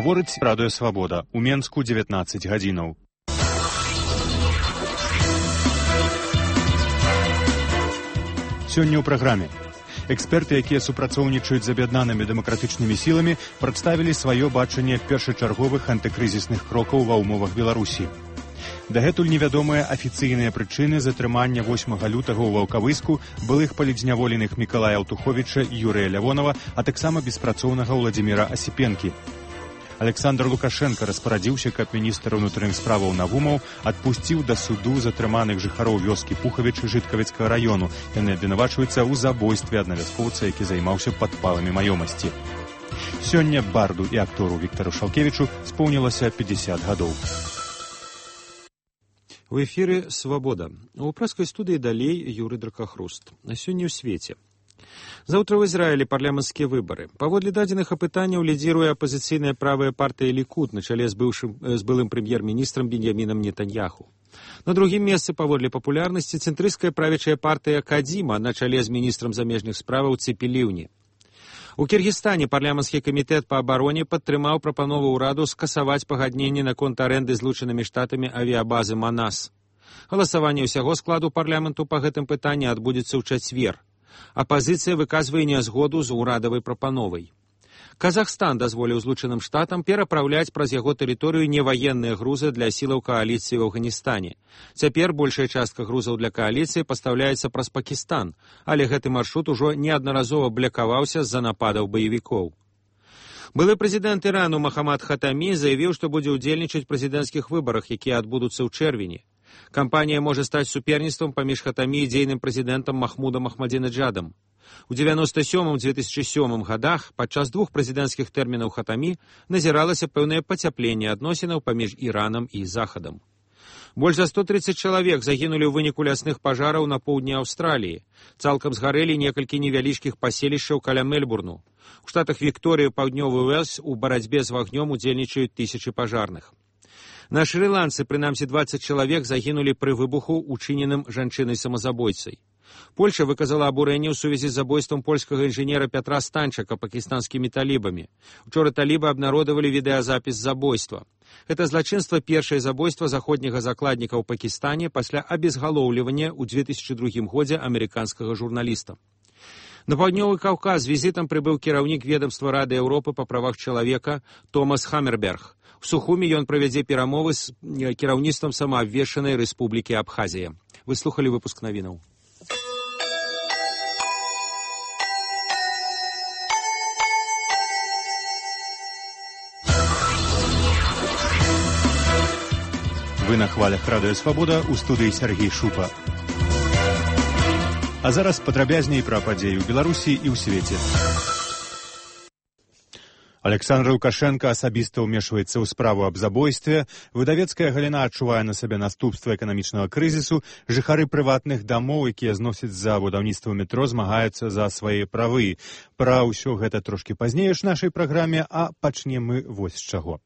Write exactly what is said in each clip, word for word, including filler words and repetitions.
гаворыць Радыё Свабода. У Менску дзевятнаццаць гадзінаў. Сёння ў праграме. Эксперты, якія супрацоўнічаюць з аб'яднанымі дэмакратычнымі сіламі, прадставілі сваё бачанне першачарговых антыкрызісных крокаў ва ўмовах Беларусі. Дагэтуль невядомыя афіцыйныя прычыны затрымання восьмага лютага ў Ваўкавыску былых палітзняволеных Мікалая Аўтуховіча і Юрыя Лявонава, а таксама беспрацоўнага Владзіміра Асіпенкі. Александр Лукашенко распарадзіўся, каб міністр унутраных справаў Навумаў адпусціў да суду затрыманых жыхароў вёскі Пухавіч Жыткавіцкага району. Яны абвінавачваюцца ў забойстве аднавяскоўца, які займаўся падпаламі маёмасці. Сёння барду і актору Віктару Шалкевічу споўнілася пятьдесят гадоў. У эфіры «Свабода». У прэскай студыі далей Юрый Дракахруст. На сёння ў свеце. Заўтра ў Ізраілі парламенцкія выбары. Паводле дадзеных апытанняў лідзіруе апазіцыйная правая партыя Лікуд на чале з, быўшым, з былым прэм'ер-міністрам Беньямінам Нетаньяху. На другім месцы паводле папулярнасці цэнтрысцкая правячая партыя Кадзіма на чале з міністрам замежных справаў Цепі Ліўні. У Кіргізстане парламенцкі камітэт па абароне падтрымаў прапанову ўраду скасаваць пагадненне наконт арэнды злучанымі штатамі авіябазы Манас. Галасаванне ўсяго складу парламенту па гэтым пытанні адбудзецца ў чацвер. Апазіцыя выказвае нязгоду з урадавай прапановай. Казахстан дазволіў злучаным штатам перапраўляць праз яго тэрыторыю неваенныя грузы для сілаў кааліцыі ў Афганістане. Цяпер большая частка грузаў для кааліцыі пастаўляецца праз Пакістан, але гэты маршрут ужо неаднаразова блакаваўся з-за нападаў баевікоў. Былы прэзідэнт Ірану Махамад Хатамі заявіў, што будзе ўдзельнічаць у прэзідэнцкіх выбарах, якія адбудуцца ў чэрвені. Кампанія можа стаць суперніцтвам паміж Хатамі і дзейным прэзідэнтам Махмудам Ахмадзінеджадам. У дзевяноста сёмым - две тысячи сёмым гадах падчас двух прэзідэнцкіх тэрмінаў Хатамі назіралася пэўнае пацяпленне адносінаў паміж Іранам і Захадам. Больш за сто тридцать чалавек загінулі ў выніку лясных пажараў на поўдні Аўстраліі. Цалкам згарэлі некалькі невялічкіх паселішчаў каля Мельбурну. У штатах Вікторыя, паўднёвы Уэльс у барацьбе з вагнём удзельнічаюць тысячы пажарных. На Шры-Ланцы, прынамсі двадцать чалавек загінулі пры выбуху, учыненым жанчынай-самазабойцай. Польша выказала абурэнне ў сувязі з забойствам польскага інжынера Пятра Станчака пакістанскімі талібамі. Учора талібы абнародавалі відэазапіс забойства. Гэта злачынства першае забойства заходняга закладніка ў Пакістане пасля абезгалоўлівання ў две тысячи другім годзе амерыканскага журналіста. На паўднёвы Каўказ візітам прыбыў кіраўнік ведамства Рады Еўропы па правах чалавека Томас Хаммерберг. У Сухуме ён правядзе перамовы з кіраўніцтвам самаабвешчанай рэспублікі Абхазія. Вы слухалі выпуск навінаў. Вы на хвалях Радыё Свабода, у студыі Сергей Шупа. А зараз падрабязней пра падзеі ў Беларусі і ў свеце. Александр Лукашенко асабіста ўмешваецца ў справу аб забойстве, выдавецкая галіна адчувае на сабе наступствы эканамічнага крызісу, жыхары прыватных дамоў, якія зносяць за будаўніцтва метро, змагаюцца за свае правы. Пра ўсё гэта трошкі пазней у нашай праграме, а пачнем мы вось з чаго.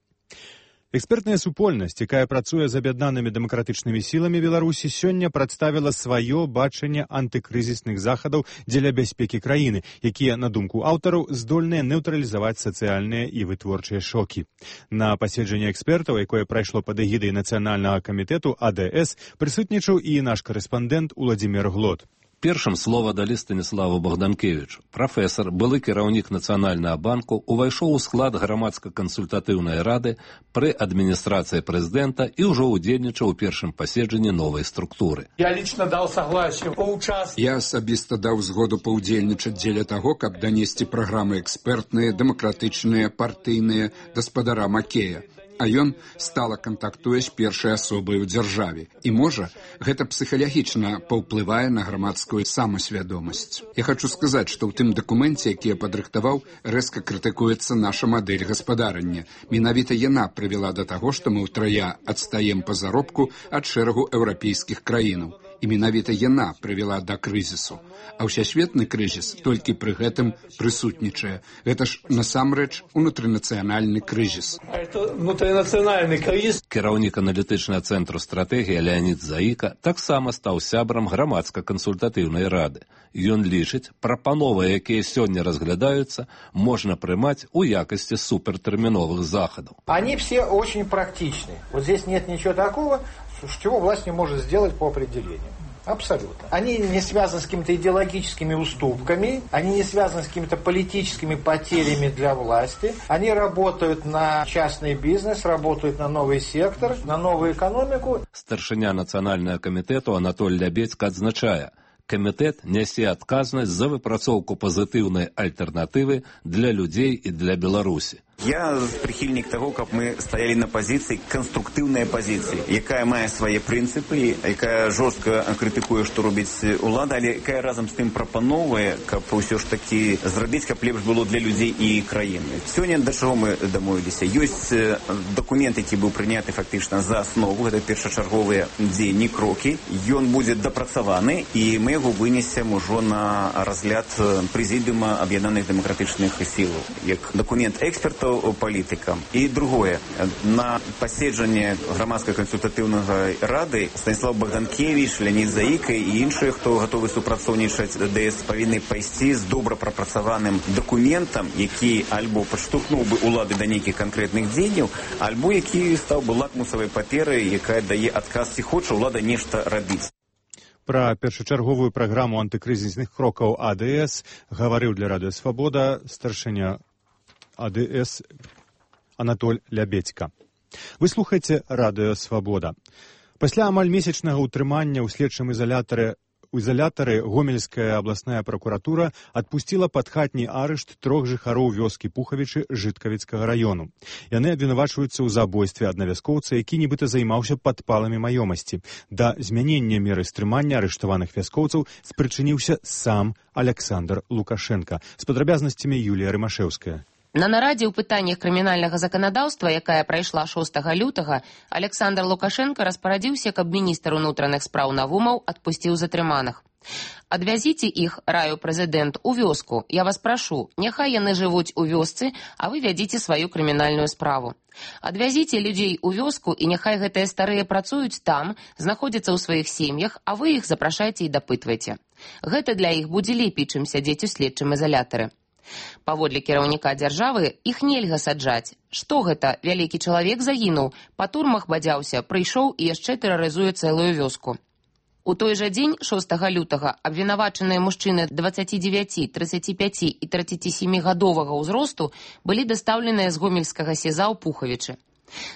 Экспертная супольнасць, якая працуе з аб'яднанымі дэмакратычнымі сіламі Беларусі, сёння прадставіла сваё бачанне антыкрызісных захадаў дзеля бяспекі краіны, якія, на думку аўтараў, здольныя нейтралізаваць сацыяльныя і вытворчыя шокі. На паседжанні экспертаў, якое прайшло пад эгідай Нацыянальнага камітэту А Д С, прысутнічаў і наш карэспандэнт Уладзімір Глот. Першым слова далі Станіславу Богданкевічу. Прафесар, былы кіраўнік Нацыянальнага банку, увайшоў у склад грамадска-кансультатыўнай рады пры адміністрацыі прэзідэнта і ўжо ўдзельнічаў у першым паседжанні новай структуры. Я лично дал согласие поучаствовать. Я асабіста даў згоду паўдзельнічаць дзеля таго, каб данесці праграмы экспертныя, дэмакратычныя, партыйныя гаспадара Макея. А ён стала кантактуе з першай асобай у дзяржаве. І, можа, гэта псіхалагічна паўплывае на грамадскую самасвядомасць. Я хочу сказаць, што ў тым дакуменце, які я падрыхтаваў, рэзка крытыкуецца наша мадэль гаспадарання. Менавіта яна прывяла да таго, што мы ўтрая адстаем па заробку ад шэрагу еўрапейскіх краінаў. І менавіта яна прывяла да крызісу. А ўсесветны крызіс толькі пры гэтым прысутнічае. Гэта ж насамрэч унутрынацыянальны крызіс. Это внутринацыянальный кризис. Кіраўнік аналітычнага цэнтру стратэгіі Леонід Заіка таксама стаў сябрам грамадска-кансультатыўнай рады. Ён лічыць, прапановы, якія сёння разглядаюцца, можна прымаць у якасці супертэрміновых захадаў. Они все очень практичны. Вот здесь нет ничего такого, чего власть не может сделать по определению. Абсолютно. Они не связаны с какими-то идеологическими уступками, они не связаны с какими-то политическими потерями для власти. Они работают на частный бизнес, работают на новый сектор, на новую экономику. Старшыня нацыянальнага камітэту Анатоль Лябедзька адзначае, камітэт нясе адказнасць за выпрацоўку пазітыўнай альтэрнатывы для людзей і для Беларусі. Я прихильник того, как мы стояли на позиции, конструктивной позиции, якая мае свои принципы, якая жестко критикує, что робить улада, але якая разом з тим пропановує, как все ж таки зробити, как лепш було для людей і країни. Сьогодні до чого ми домовилися? Є документ, який був прийнятий фактично за основу, це першочергові дії, кроки. Він буде допрацьований, і ми його винесемо вже на розгляд Президіума Об'єднаних демократичних сил, як документ експертів, політикам. І друге, на посідження громадської консультативної ради Станіслав Богданкевич, Леонід Заїка і інші, хто готові супрацовничати ДС, повинні пойти з добре пропрацьованим документом, який або підштовхнув би улади до деяких конкретних дій, або який став би лакмусовою паперою, яка дає адказ, чи хоче улада нешта робити. Пра першачарговую праграму антыкрызісных крокаў АДС гаварыў для Радыё Свабода старшыня АДС Анатоль Лябедзька. Вы слухаеце Радыё Свабода. Пасля амаль месячнага ўтрымання ў следчым изолятары у изолятары Гомельская абласная прокуратура адпусціла пад хатні арышт трох жыхароў вёскі Пухавічы Жыткавіцкага раёну. Яны абвінавачваюцца ў забойстве аднавяскоўца, які нібыта займаўся падпаламі маёмасці. Да змянення меры стрымання арыштаваных вяскоўцаў спрычыніўся сам Александр Лукашенко. З падрабязнасцямі Юлія Рымашэўская. На нарадзе ў пытаннях крымінальнага заканадаўства, якая прайшла шостага лютага, Александр Лукашенко распарадзіўся, каб міністр унутраных спраў Навумаў адпусціў затрыманых. Адвязіце іх, раю прэзідэнт, у вёску. Я вас прашу, няхай яны жывуць у вёсцы, а вы вядзіце сваю крымінальную справу. Адвязіце людзей у вёску, і няхай гэтыя старыя працуюць там, знаходзяцца ў сваіх сем'ях, а вы іх запрашайце і дапытвайце. Гэта для іх будзе лепей, чым сядзець у следчым изолятары. Паводле кіраўніка дзяржавы, іх нельга саджаць. Што гэта? Вялікі чалавек загінуў, па турмах бадзяўся, прыйшоў і яшчэ тэрарызуе цэлую вёску. У той жа дзень, шостага лютага, абвінавачаныя мужчыны дваццаці дзевяці, трыццаці пяці і трыццаці сямі гадовага ўзросту былі дастаўленыя з гомельскага сеза ў Пухавічы.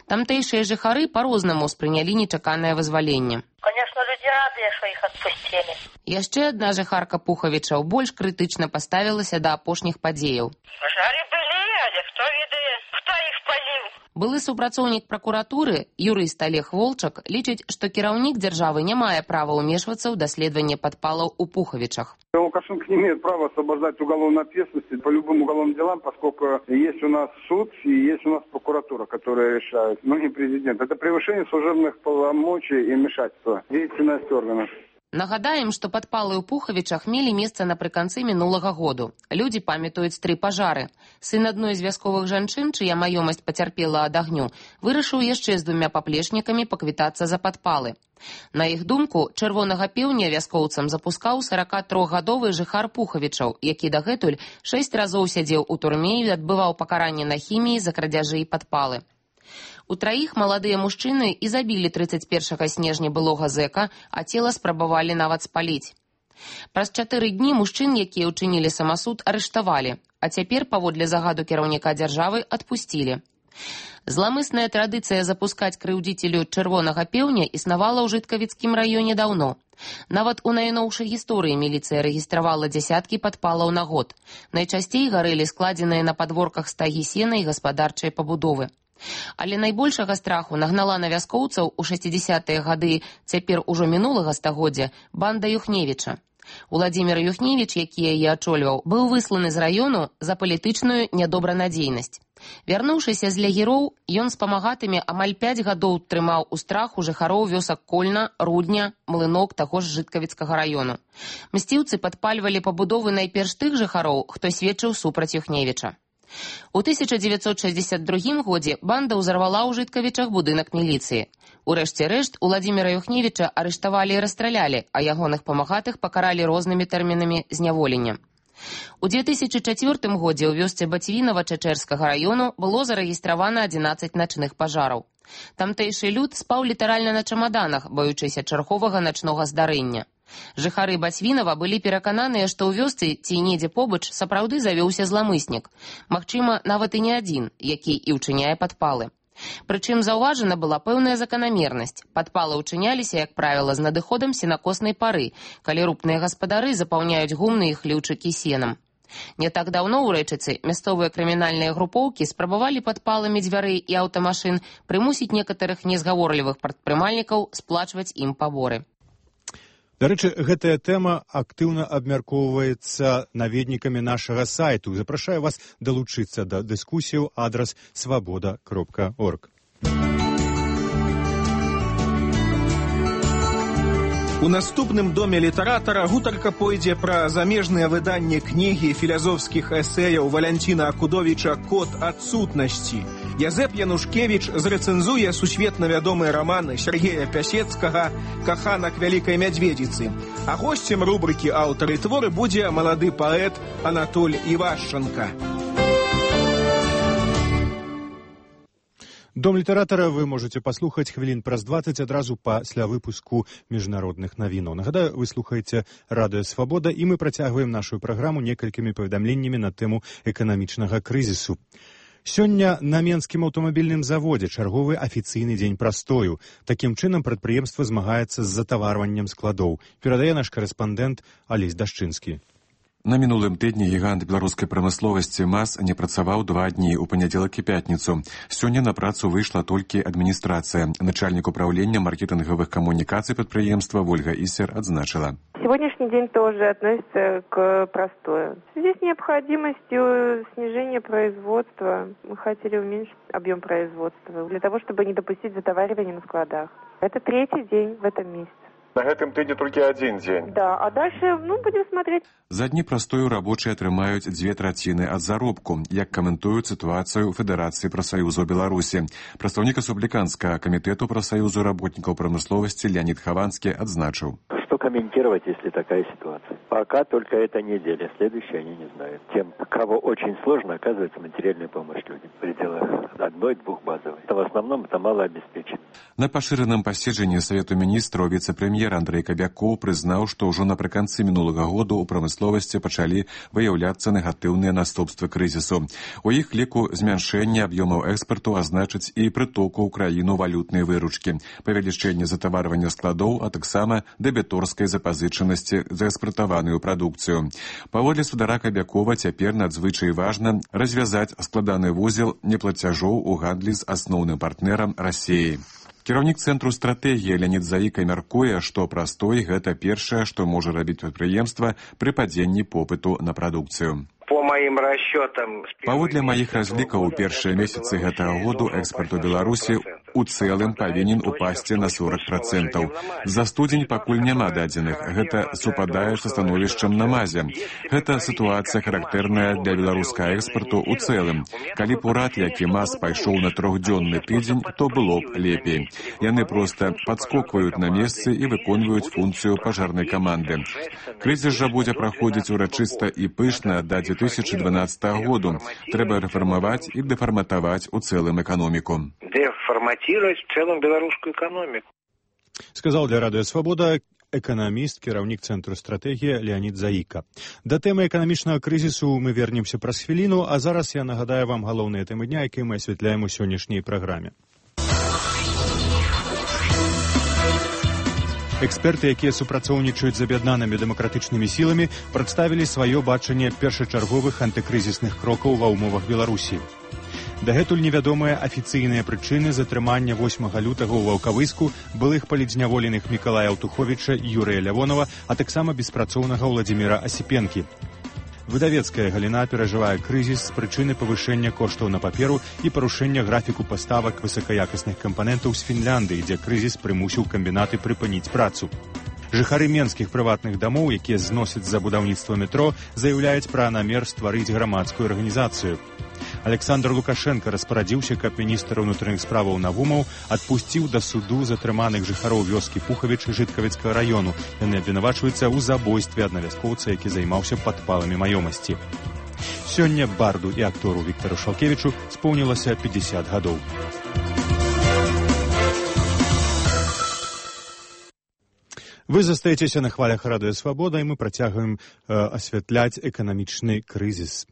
Тамтэйшыя жыхары па-рознаму спрынялі нечаканае вызваленне. Конечно, люди рады, что их отпустили. Яшчэ адна жыхарка Пухавічаў больш крытычна паставілася да апошніх падзеяў. Пожары были, але кто ведае, кто их палил? Былы супрацоўнік пракуратуры, юрыст Олег Волчак, лічыць, што кіраўнік дзяржавы не мае права ўмешвацца ў даследаванне падпалаў у Пухавічах. Лукашенко не имеет права освобождать уголовной ответственности по любым уголовным делам, поскольку есть у нас суд и есть у нас прокуратура, которая решает, но не президент. Это превышение служебных полномочий и вмешательства в деятельность органов. Нагадаем, што падпалы ў Пухавічах мелі месца напрыканцы мінулага году. Людзі памятаюць тры пажары. Сын адной з вясковых жанчын, чыя маёмасць пацярпела ад агню, вырашыў яшчэ з двумя паплечнікамі паквітацца за падпалы. На іх думку, чырвонага пеўня вяскоўцам запускаў саракатрохгадовы жыхар Пухавічаў, які дагэтуль шэсць разоў сядзеў у турме і адбываў пакаранне на хіміі за крадзяжы і падпалы. У траіх маладыя мужчыны і забілі трыццаць першага снежня былога зэка, а цела спрабавалі нават спаліць. Праз чатыры дні мужчын, якія ўчынілі самасуд, арыштавалі, а цяпер, паводле загаду кіраўніка дзяржавы, адпусцілі. Зламысная традыцыя запускаць крыўдзіцелю чырвонага пеўня існавала ў Жыткавіцкім раёне даўно. Нават у найноўшай гісторыі міліцыя рэгістравала дзясяткі падпалаў на год. Найчасцей гарэлі складзеныя на падворках стагі сена і гаспадарчыя пабудовы. Але найбольшага страху нагнала на вяскоўцаў у шэсцідзесятыя гады цяпер ужо мінулага стагоддзя банда Юхневіча. Уладзімір Юхневіч, які яе ачольваў, быў высланы з раёну за палітычную нядобранадзейнасць. Вярнуўшыся з лагероў, ён з памагатымі амаль пяць гадоў трымаў у страху жыхароў вёсак Кольна, Рудня, Млынок таго ж Жыткавіцкага раёну. Мсціўцы падпальвалі пабудовы найперш тых жыхароў, хто сведчыў супраць Юхневіча. У тысяча дзевяцьсот шэсцьдзесят другім годзе банда ўзарвала ў Жыткавічах будынак міліцыі. Урэшце рэшт, Уладзіміра Юхневіча арыштавалі і расстралялі, а ягоных памагатых пакаралі рознымі тэрмінамі зняволення. У две тысячи чацвёртым годзе ў вёсцы Бацвінава Чачэрскага раёну было зарэгістравана адзінаццаць начных пажараў. Тамтэйшы люд спаў літаральна на чамаданах, баючыся чарговага начнога здарэння. Жыхары Бацвінава былі перакананыя, што ў вёсцы ці недзе побач сапраўды завёўся зламыснік. Магчыма, нават і не адзін, які і ўчыняе падпалы. Прычым заўважана была пэўная заканамернасць. Падпалы ўчыняліся, як правіла, з надыходам сенакоснай пары, калі рупныя гаспадары запаўняюць гумны і хлеўчыкі сенам. Не так даўно ў Рэчыцы мясцовыя крымінальныя групоўкі спрабавалі падпаламі дзвярэй і аўтамашын прымусіць некаторых незгаворлівых прадпрымальнікаў сплачваць ім паборы. Дарэчы, гэтая тэма актыўна абмяркоўваецца наведнікамі нашага сайту. Запрашаю вас далучыцца да дыскусіяў адрас свабода кропка орг. У наступным доме літаратара гутарка пойдзе пра замежныя выданні кнігі філазофскіх эсэяў Валянціна Акудовіча «Код адсутнасці». Язэп Янушкевіч зрэцэнзуе сусветна вядомыя раманы Сергея Пясецкага «Каханак вялікай мядзведзіцы». А госцем рубрыкі «Аўтары творы» будзе малады паэт Анатоль Івашчанка. Дом літаратара вы можете паслухаць хвілін праз дваццаць адразу пасля выпуску міжнародных навінаў. Нагадаю, вы слухаеце радыё «Свабода» і мы працягваем нашу праграму некалькімі паведамленнямі на тэму эканамічнага крызісу. Сёння на Менскім аўтамабільным заводзе чарговы афіцыйны дзень прастою. Такім чынам прадпрыемства змагаецца з затаварваннем складоў. Перадае наш карэспандэнт Алесь Дашчынскі. На мінулым тыдні гігант беларускай прамысловасці МАЗ не працаваў два дні ў панядзелак і пятніцу. Сёння на працу выйшла толькі адміністрацыя. Начальнік управлення маркетингавых камунікацый прадпрыемства Вольга Ісер адзначыла. Сегодняшний день тоже относится к простою. В связи с необходимостью снижения производства мы хотели уменьшить объем производства для того, чтобы не допустить затоваривания на складах. Это третий день в этом месяце. На гэтым тыдні толькі адзін дзень. Да, а дальше, ну, будем смотреть. За дні прастою рабочыя атрымаюць дзве траціны ад заробку, як каментуюць сітуацыю Федэрацыі прафсаюзаў Беларусі. Прадстаўнік рэспубліканскага камітэту прафсаюзу работнікаў прамысловасці Леонид Хованский адзначыў. Что комментировать, если такая ситуация? Пока только эта неделя, следующие они не знают. Тем, кого очень сложно, оказывается материальная помощь людям в пределах одной-двух базовых. Это в основном это малообеспечено. На пашыраным паседжанні Савету міністраў віцэ-прэм'ер Андрэй Кабякоў прызнаў, што ўжо напрыканцы мінулага году ў прамысловасці пачалі выяўляцца негатыўныя наступствы крызісу. У іх ліку змяншэнне аб'ёмаў экспарту азначыць і прытоку ў краіну валютнай выручкі, павелічэнне затаварвання складоў, а таксама дэбіторскай запазычанасці за экспартаваную прадукцыю. Паводле спадара Кабякова цяпер надзвычай важна развязаць складаны вузел неплацяжоў у гандлі з асноўным партнерам Расіі. Кіраўнік цэнтру стратэгіі Леонид Заіка мяркуе, што прастой гэта першае, што можа рабіць прадпрыемства пры падзенні попыту на прадукцыю. По моим расчетам... Паводле маіх разлікаў, у першыя месяцы гэтага году экспарт у Беларусі у цэлым павінен упасці на сорок процентаў. За студзень пакуль няма дадзеных. Гэта супадае са становішчам на МАЗе. Гэта сітуацыя характэрная для беларускага экспарту у цэлым. Калі б урад, які МАЗ пайшоў на трохдзённы тыдзень, то было б лепей. Яны проста падскокваюць на месцы і выконваюць функцыю пажарнай каманды. Крызіс жа будзе праходзіць урачыста і пышна да две тысячи дванадцатого году. Трэба рэфармаваць і дэфарматаваць у цэлым эканоміку. Дэфарматировать в целом белорусскую экономику. Сказал для радыё «Свабода» эканаміст, кіраўнік цэнтру стратэгіі Леонид Заіка. Да тэмы эканамічнага крызісу мы вернемся праз хвіліну, а зараз я нагадаю вам галоўныя тэмы дня, якія мы асвятляем у сённяшняй праграме. Эксперты, якія супрацоўнічаюць з аб'яднанымі дэмакратычнымі сіламі, прадставілі сваё бачанне першачарговых антыкрызісных крокаў ва ўмовах Беларусі. Дагэтуль невядомыя афіцыйныя прычыны затрымання восьмага лютага ў Ваўкавыску былых палітзняволеных Мікалая Аўтуховіча і Юрыя Лявонова, а таксама беспрацоўнага Ўладзіміра Асіпенкі. Выдавецкая галіна перажывае крызіс з прычыны павышэння коштаў на паперу і парушэння графіку паставак высакаякасных кампанентаў з Фінляндыі, дзе крызіс прымусіў камбінаты прыпыніць працу. Жыхары менскіх прыватных дамоў, якія зносяць за будаўніцтва метро, заяўляюць пра намер стварыць грамадскую арганізацыю. Александр Лукашенко распарадзіўся, каб міністр унутраных справаў Навумаў адпусціў да суду затрыманых жыхароў вёскі Пухавіч Жыткавіцкага району. Яны абвінавачваюцца ў забойстве аднавяскоўца, які займаўся падпаламі маёмасці. Сёння барду і актору Віктару Шалкевічу споўнілася пятьдесят гадоў. Вы застаецеся на хвалях Радыё Свабода, і мы працягваем э, асвятляць эканамічны крызіс.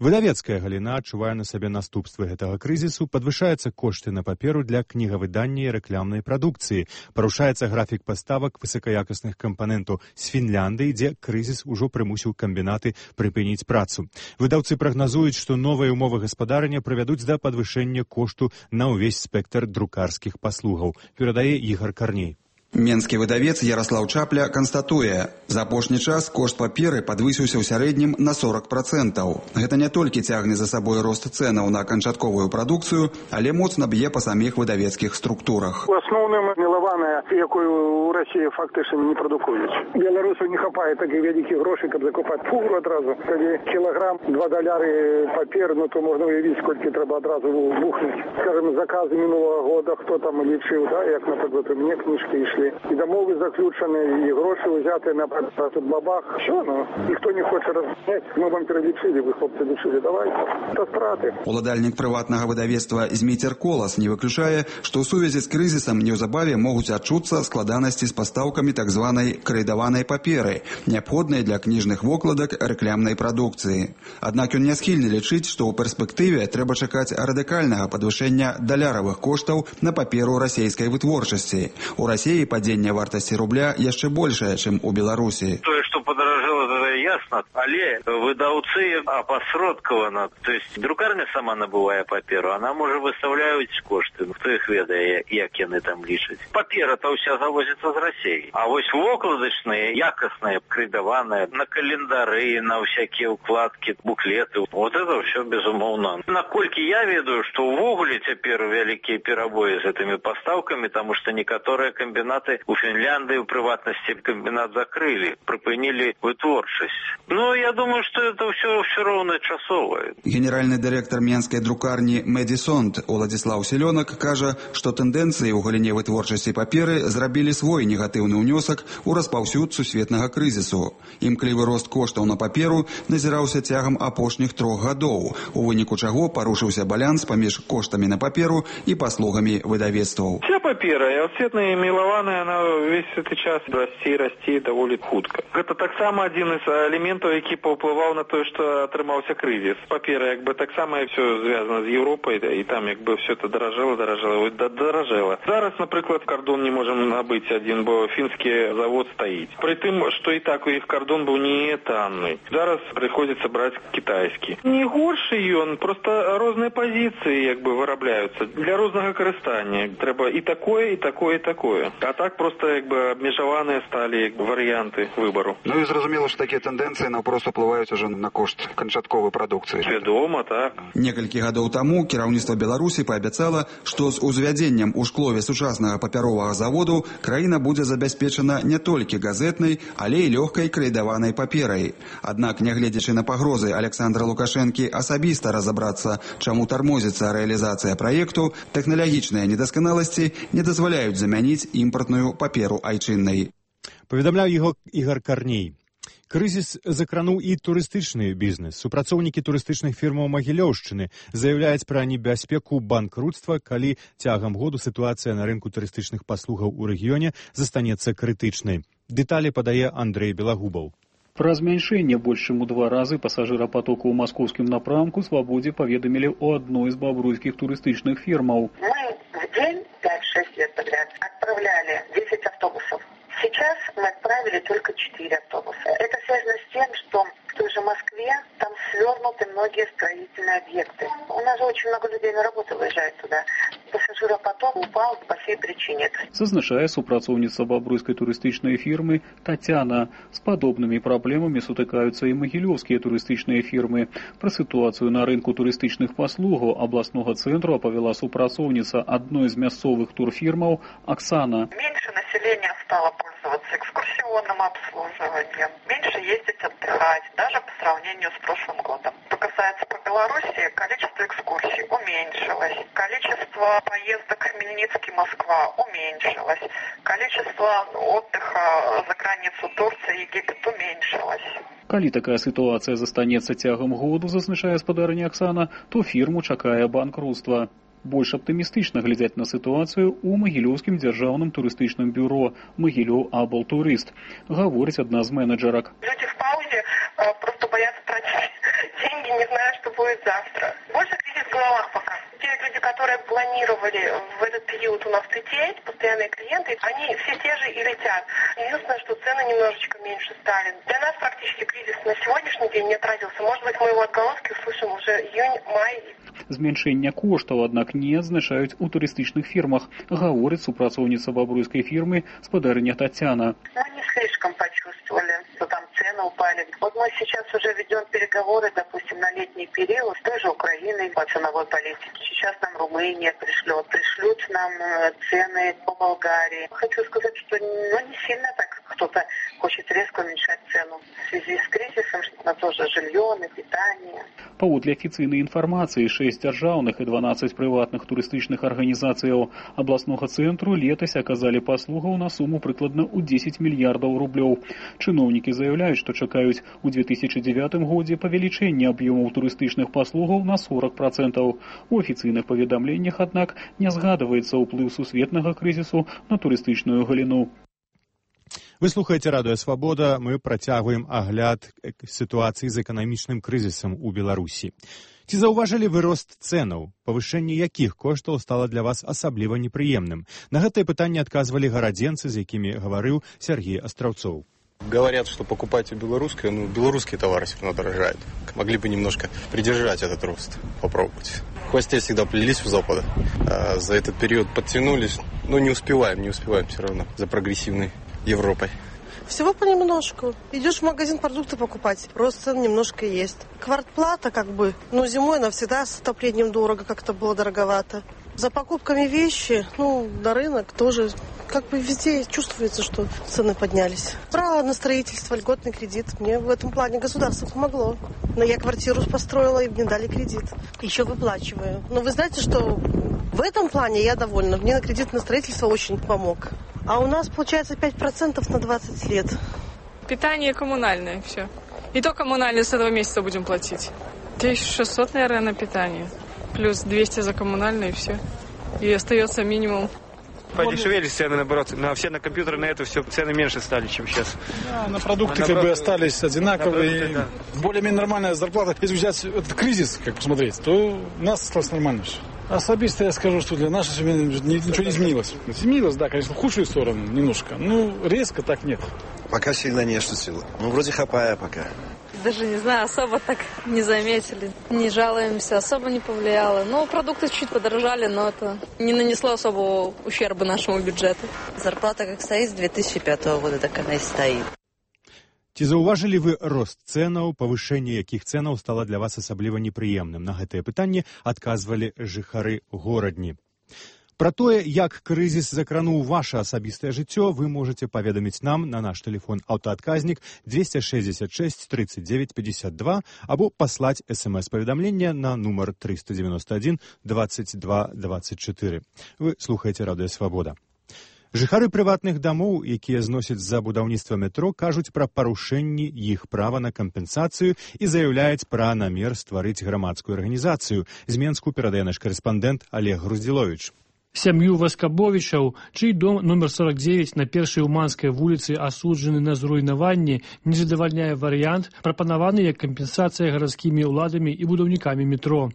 Выдавецкая галіна адчувае на сабе наступствы гэтага крызісу, падвышаюцца кошты на паперу для кнігавыдання і рэкламнай прадукцыі, парушаецца графік паставак высакаякасных кампанентаў з Фінляндыі, дзе крызіс ужо прымусіў камбінаты прыпыніць працу. Выдаўцы прагназуюць, што новыя ўмовы гаспадарання прывядуць да падвышэння кошту на ўвесь спектр друкарскіх паслугаў, перадае Ігор Карней. Менскі выдавец Ярослаў Чапля канстатуе, за апошні час кошт паперы падвысіўся ў сярэднім на сорок процентаў. Гэта не толькі цягне за сабой рост цэнаў на канчатковую прадукцыю, але моцна б'е па саміх выдавецкіх структурах. У асноўным мілаваная, якую ў Расіі фактычна не прадукуюць. Беларусаў не хапае такіх вялікіх грошай, каб закупаць фуру адразу. Калі кілаграм два даляры папер, ну то можна уявіць, колькі трэба адразу бухнуць. Скажем, заказы мінулого года, хто там лічыў, да, як, наприклад, у мяне кніжкі ішлі. І дамовы заключаны, і грошы ўзяты на тут бабах. Що, ну, ніхто не хоче разняць. Мы вам пералічылі, вы, хлопцы, лічылі, давайте. Це страты. Уладальнік прыватнага выдавецтва Зміцер Колас не выключае, што ў сувязі з крызісам неўзабаве могуць адчуцца складанасці з пастаўкамі так званай крэдаванай паперы, неабходнай для кніжных вокладак рэклямнай прадукцыі. Аднак ён не схільны лічыць, што ў перспектыве трэба чакаць радыкальнага падвышэння даляравых коштаў на паперу расейскай вытворчасці. У Расіі падзенне вартасці рубля яшчэ большае, чым у Беларусі. Тое, што падаражэла, гэта ясна, але выдаўцы апасродкавана. То есть друкарня сама набывае паперу, она можа выстаўляюць кошты. Хто іх ведае, як яны там лічаць. Папера-то ўся завозіцца з Расіі. А вось вокладачныя, якасныя, крэдаваныя, на календары, на всякія укладкі, буклеты. Вот это все безумоўна. Наколькі я ведаю, што ўвогуле цяпер вялікія перабоі з гэтымі пастаўкамі, таму што некаторыя камбінаты у Фінляндыі, у прыватнасці камбінат закрылі, прыпынілі вытворчасць. Ну, я думаю, што это ўсё ўсё роўна часовае. Генеральны дырэктар менскай друкарні Медисонт Уладзіслаў Селёнак кажа, што тэндэнцыі ў галіне вытворчасці паперы зрабілі свой негатыўны ўнёсак у распаўсюд сусветнага крызісу. Імклівы рост коштаў на паперу назіраўся цягам апошніх трох гадоў, у выніку чаго парушыўся баланс паміж коштамі на паперу і паслугамі выдавецтваў. Вся папера, і ацетная, і мілаваная, она весь гэты час расці, расці даволі хутка. Гэта таксама адзін з элементаў, які паўплываў на тое, што атрымаўся крызіс. Папера, як бы, таксама все звязана з Еўропай, і там, як бы, все это даражэла, даражэла, даражэла. Зараз, напрыклад, кардон не можам набыць адзін, бо фінскі завод стаіць. Пры тым, што і так у іх кардон быў не танны. Зараз прыходзіцца браць кітайскі. Не горшы ён, проста розныя пазіцыі, як бы, вырабляюцца. Для рознага карыстання. Трэба і такое, і такое, і такое. А так просто, як бы, абмежаваныя сталі варыянты выбару. Ну і зразумела, што такія тэндэнцыі наўпрост уплываюць ужо на кошт канчатковай прадукцыі. Вядома, так. Некалькі гадоў таму кіраўніцтва Беларусі паабяцала, што з узвядзеннем у шклове сучаснага папяровага заводу краіна будзе забяспечана не толькі газетнай, але і лёгкай крэдаванай паперай. Аднак, нягледзячы на пагрозы Александра Лукашэнкі асабіста разабрацца, чаму тармозіцца рэалізацыя праекту, тэхналагічныя недасканаласці не дазваляюць замяніць імпартную паперу айчыннай. Паведамляў яго Ігор Карней. Крызіс закрануў і турыстычны бізнес. Супрацоўнікі турыстычных фірмаў Магілёўшчыны заяўляюць пра небяспеку банкрутства, калі цягам году сітуацыя на рынку турыстычных паслугаў у рэгіёне застанецца крытычнай. Дэталі падае Андрэй Белагубаў. Пра змяншэнне больш чым у два разы пасажырапатоку ў маскоўскім напрамку «Свабодзе» паведамілі ў адной з бабруйскіх турыстычных фірмаў. Мы в день пять-шесть лет подряд отправляли десять автобусов. Сейчас мы отправили только четыре автобуса. Это связано с тем, что в той же Москве там свернуты многие строительные объекты. У нас же очень много людей на работу выезжает туда. Пассажиропоток потом упал по сей причине. Зазначае супрацоўніца бабруйскай турыстычнай фірмы Тацяна. З падобнымі праблемамі сутыкаюцца і магілёўскія турыстычныя фірмы. Пра сітуацыю на рынку турыстычных паслугаў абласнога цэнтру апавяла супрацоўніца адной з мясцовых турфірмаў Оксана. Меньше населения стало пользоваться экскурсионным обслуживанием, меньше ездить отдыхать, даже по сравнению с прошлым годом. Что касается по Беларуси, количество экскурсий уменьшилось, количество поездок Хмельницкий-Москва уменьшилось, количество отдыха за границу Турции, Египет уменьшилось. Калі такая сітуацыя застанецца цягам году, зазначае спадарыня Оксана, то фірму чакае банкрутства. Больш аптымістычна глядзяць на сітуацыю ў Магілёўскім дзяржаўным турыстычным бюро «Магілёў Аблтурыст», гаворыць адна з менеджерак. Люди в паузе э, просто боятся тратить деньги, не зная, что будет завтра. Больше кризис в головах пока. Те люди, которые планировали в этот период у нас лететь, постоянные клиенты, они все те же и летят. Единственное, что цены немножечко меньше стали. Для нас практически кризис на сегодняшний день не отразился. Может быть, мы его отголоски услышим уже июнь-май. Зменшэння коштаў, аднак, не адзначаюць у турыстычных фірмах, гаворыць супрацоўніца бабруйскай фірмы спадарыня Тацяна. Мы не слишком почувствовали, что там цены упали. Вот мы сейчас уже ведем переговоры, допустим, на летний период с той же Украиной по ценовой политике. Сейчас нам Румыния пришлет, пришлют нам цены по Болгарии. Хочу сказать, что ну, не сильно так кто-то хочет резко уменьшать цену. В связи с кризисом на то же жилье, на питание. Паводле афіцыйнай інфармацыі, шэсць дзяржаўных і дванаццаць прыватных турыстычных арганізацыяў абласнога цэнтру летась аказалі паслугаў на суму прыкладна ў дзесяць мільярдаў рублёў. Чыноўнікі заяўляюць, што чакаюць у две тысячы дзевятым годзе павелічэння аб'ёмаў турыстычных паслугаў на сорок процентаў. У афіцыйных паведамленнях, аднак, не згадваецца ўплыў сусветнага крызісу на турыстычную галіну. Вы слухаеце радыё «Свабода». Мы працягваем агляд сітуацыі з эканамічным крызісам у Беларусі. Ці заўважылі вы рост цэнаў, павышэнне якіх коштаў стала для вас асабліва непрыемным? На гэтае пытанне адказвалі гарадзенцы, з якімі гаварыў Сергей Астраўцоў. Говорят, что покупайте белорусское, ну, белорусские товары все равно дорожают. Могли бы немножко придержать этот рост, попробовать. В хвосте всегда плелись у Запада, а за этот период подтянулись, но не успеваем, не успеваем все равно за прогрессивной Европой. Всего понемножку. Идешь в магазин продукты покупать, рост цен немножко есть. Квартплата как бы, ну зимой она всегда с отоплением дорого, как-то было дороговато. За покупками вещи, ну, на рынок тоже, как бы везде чувствуется, что цены поднялись. Право на строительство, льготный кредит. Мне в этом плане государство помогло. Но я квартиру построила, и мне дали кредит. Еще выплачиваю. Но вы знаете, что в этом плане я довольна. Мне на кредит на строительство очень помог. А у нас получается пять процентов на двадцать лет. Питание коммунальное, все. И то коммунальное с этого месяца будем платить. тысяча шестьсот, наверное, на питание. Плюс двести за коммунальное и все. И остается минимум. Подешевели цены, наоборот. На все на компьютеры, на это все цены меньше стали, чем сейчас. Да, на продукты а как бы остались одинаковые. Продукты, да. Более-менее нормальная зарплата. Если взять этот кризис, как посмотреть, то у нас осталось нормально все. Особисто я скажу, что для нашей семьи ничего не изменилось. Изменилось, да, конечно, в худшую сторону немножко. Ну, резко так нет. Пока сильно не ощутила. Ну, вроде хапая пока. Даже не знаю, особо так не заметили. Не жалуемся, особо не повлияло. Ну, продукты чуть подорожали, но это не нанесло особого ущерба нашему бюджету. Зарплата как стоит с две тысячи пятого года, так она и стоит. Ці заўважылі вы рост цэнаў, павышэнне якіх цэнаў стала для вас асабліва непрыемным? На гэтае пытанне адказвалі жыхары горадні. Пра тое, як крызіс закрануў ваше асабістае жыццё, вы можете паведаміць нам на наш тэлефон аўтаадказнік двести шестьдесят шесть тридцать девять пятьдесят два або паслаць смс-паведамленне на нумар триста девяносто один двадцать два двадцать четыре. Вы слухаеце радыё «Свабода». Жыхары прыватных дамоў, якія зносяць за будаўніцтва метро, кажуць пра парушэнні іх права на кампенсацыю і заяўляюць пра намер стварыць грамадскую арганізацыю. З Менску перадае наш карэспандэнт Олег Груздзіловіч. Сям'ю Васкабовічаў, чый дом номер сорок девять на першай Уманскай вуліцы асуджаны на зруйнаванне, не задавальняе варыянт, прапанаваны як кампенсацыя гарадскімі ўладамі і будаўнікамі метро.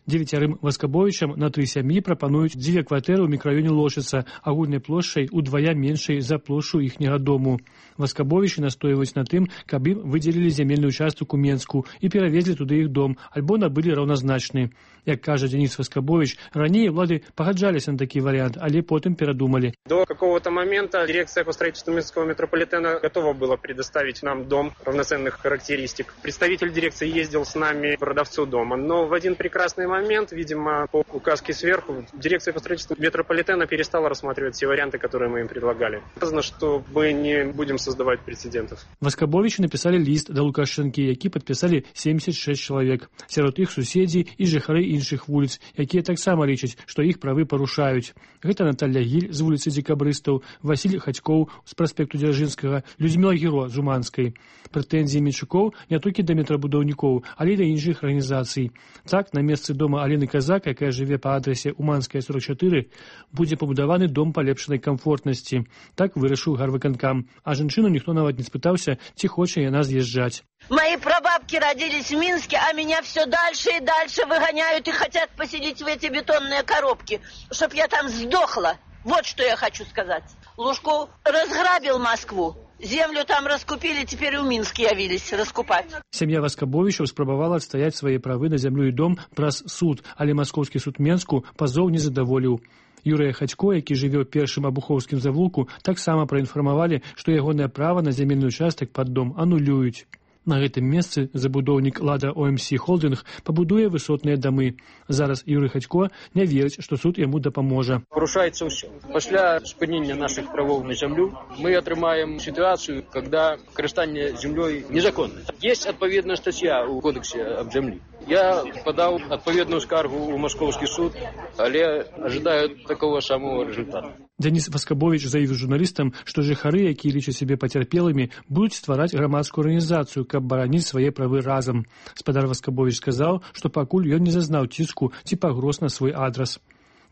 Дзевяцярым Васкабовічам на тры сям'і прапануюць дзве кватэры ў мікрараёне Лошыца, агульнай плошчай удвая меншай за плошчу іхняга дому. Васкабовічы настойваюць на тым, каб ім выдзелілі зямельны участак у Менску і перавезлі туды іх дом, альбо набылі раўназначны. Як кажа Денис Васкабович, ранее улады пагаджаліся на такі вариант, але потым перадумалі. До какого-то момента дирекция по строительству Минского метрополитена готова была предоставить нам дом равноценных характеристик. Представитель дирекции ездил с нами к продавцу дома, но в один прекрасный момент, видимо, по указке сверху, дирекция по строительству метрополитена перестала рассматривать все варианты, которые мы им предлагали. Сказано, что мы не будем создавать прецедентов. Васкабовичы написали лист до Лукашэнкі, які падпісалі семьдесят шесть чалавек. Сярод іх суседзі і жыхары іншых вуліц, якія таксама лічаць, што іх правы парушаюць. Гэта Наталья Гіль з вуліцы Дзекабрыстаў, Васіль Хацькоў з праспекту Дзяржынскага, Людміла Гіро з Уманскай. Прэтэнзіі Менчукоў не толькі да метрабудаўнікоў, але і да іншых арганізацый. Так, на месцы дома Алены Казак, якая жыве па адрасе Уманская сорок чатыры, будзе пабудаваны дом палепшанай камфортнасці. Так вырашыў гарвыканкам. А жанчыну ніхто нават не спытаўся, ці хоча яна з'язджаць. Мои прабабки родились в Минске, а меня все дальше и дальше выгоняют и хотят поселить в эти бетонные коробки, чтоб я там сдохла. Вот что я хочу сказать. Лужков разграбил Москву. Землю там раскупили, теперь у Минска явились раскупать. Сям'я Васкабовічаў спрабавала адстаяць свае правы на зямлю і дом праз суд, але маскоўскі суд Менску пазоў не задаволіў. Юрыя Хацько, які жыве ў першым абухоўскім завулку, таксама праінфармавалі, што ягонае права на зямельны участак пад дом анулююць. На гэтым месцы забудоўнік «Лада О Эм Сі Холдинг» пабудуе высотныя дамы. Зараз Юрый Хацько не верыць, што суд яму дапаможа. Парушаецца ўсё. Пасля спынення нашых правоў на зямлю мы атрымаем сітуацыю, когда карыстанне зямлёй незаконна. Есть адпаведная статья ў кодексе аб зямлі. Я подал отповедную скаргу у Московский суд, але ожидаю такого самого результата. Денис Васкабович заявіў журналістам, што жыхары, якія лічаць сябе пацярпелымі, будуць ствараць грамадскую арганізацыю, каб бараніць свае правы разам. Спадар Васкабович сказаў, што пакуль ён не зазнаў ціску ці пагроз на свой адрас.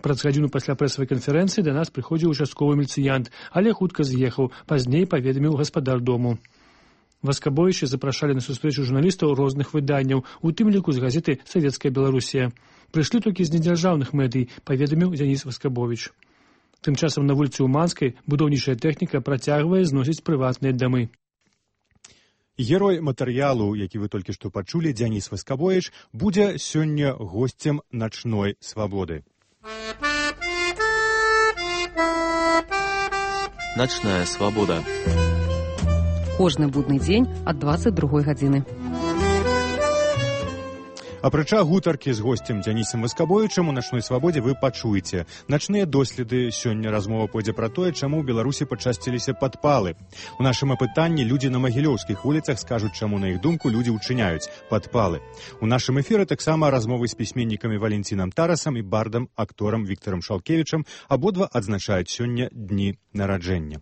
Праз гадзіну пасля прэсавай канферэнцыі да нас прыходзіў участковы міліцыянт, але хутка з'ехаў, пазней паведаміў гаспадар дому. Васкабовічы запрашалі на сустрэчу журналістаў розных выданняў, у тым ліку з газеты «Савецкая Беларусія». Прышлі толькі з недзяржаўных медый, паведаміў Денис Васкабович. Тым часам на вуліцы Уманскай будаўнічая тэхніка працягвае зносіць прыватныя дамы. Герой матэрыялу, які вы толькі што пачулі, Денис Васкабович, будзе сёння госцем начной свабоды. Начная свабода. Кожны будны дзень ад дваццаць другой гадзіны. Апрача гутаркі з госцем Дзянісам Васкабовічам у начной свабодзе вы пачуеце. Начныя доследы. Сёння размова пойдзе пра тое, чаму ў Беларусі пачасціліся падпалы. У нашым апытанні людзі на магілёўскіх вуліцах скажуць, чаму на іх думку людзі ўчыняюць падпалы. У нашым эфіры таксама размовы з пісьменнікамі Валентинам Тарасам і бардам акторам Віктарам Шалкевічам. Абодва адзначаюць сёння дні нараджэння.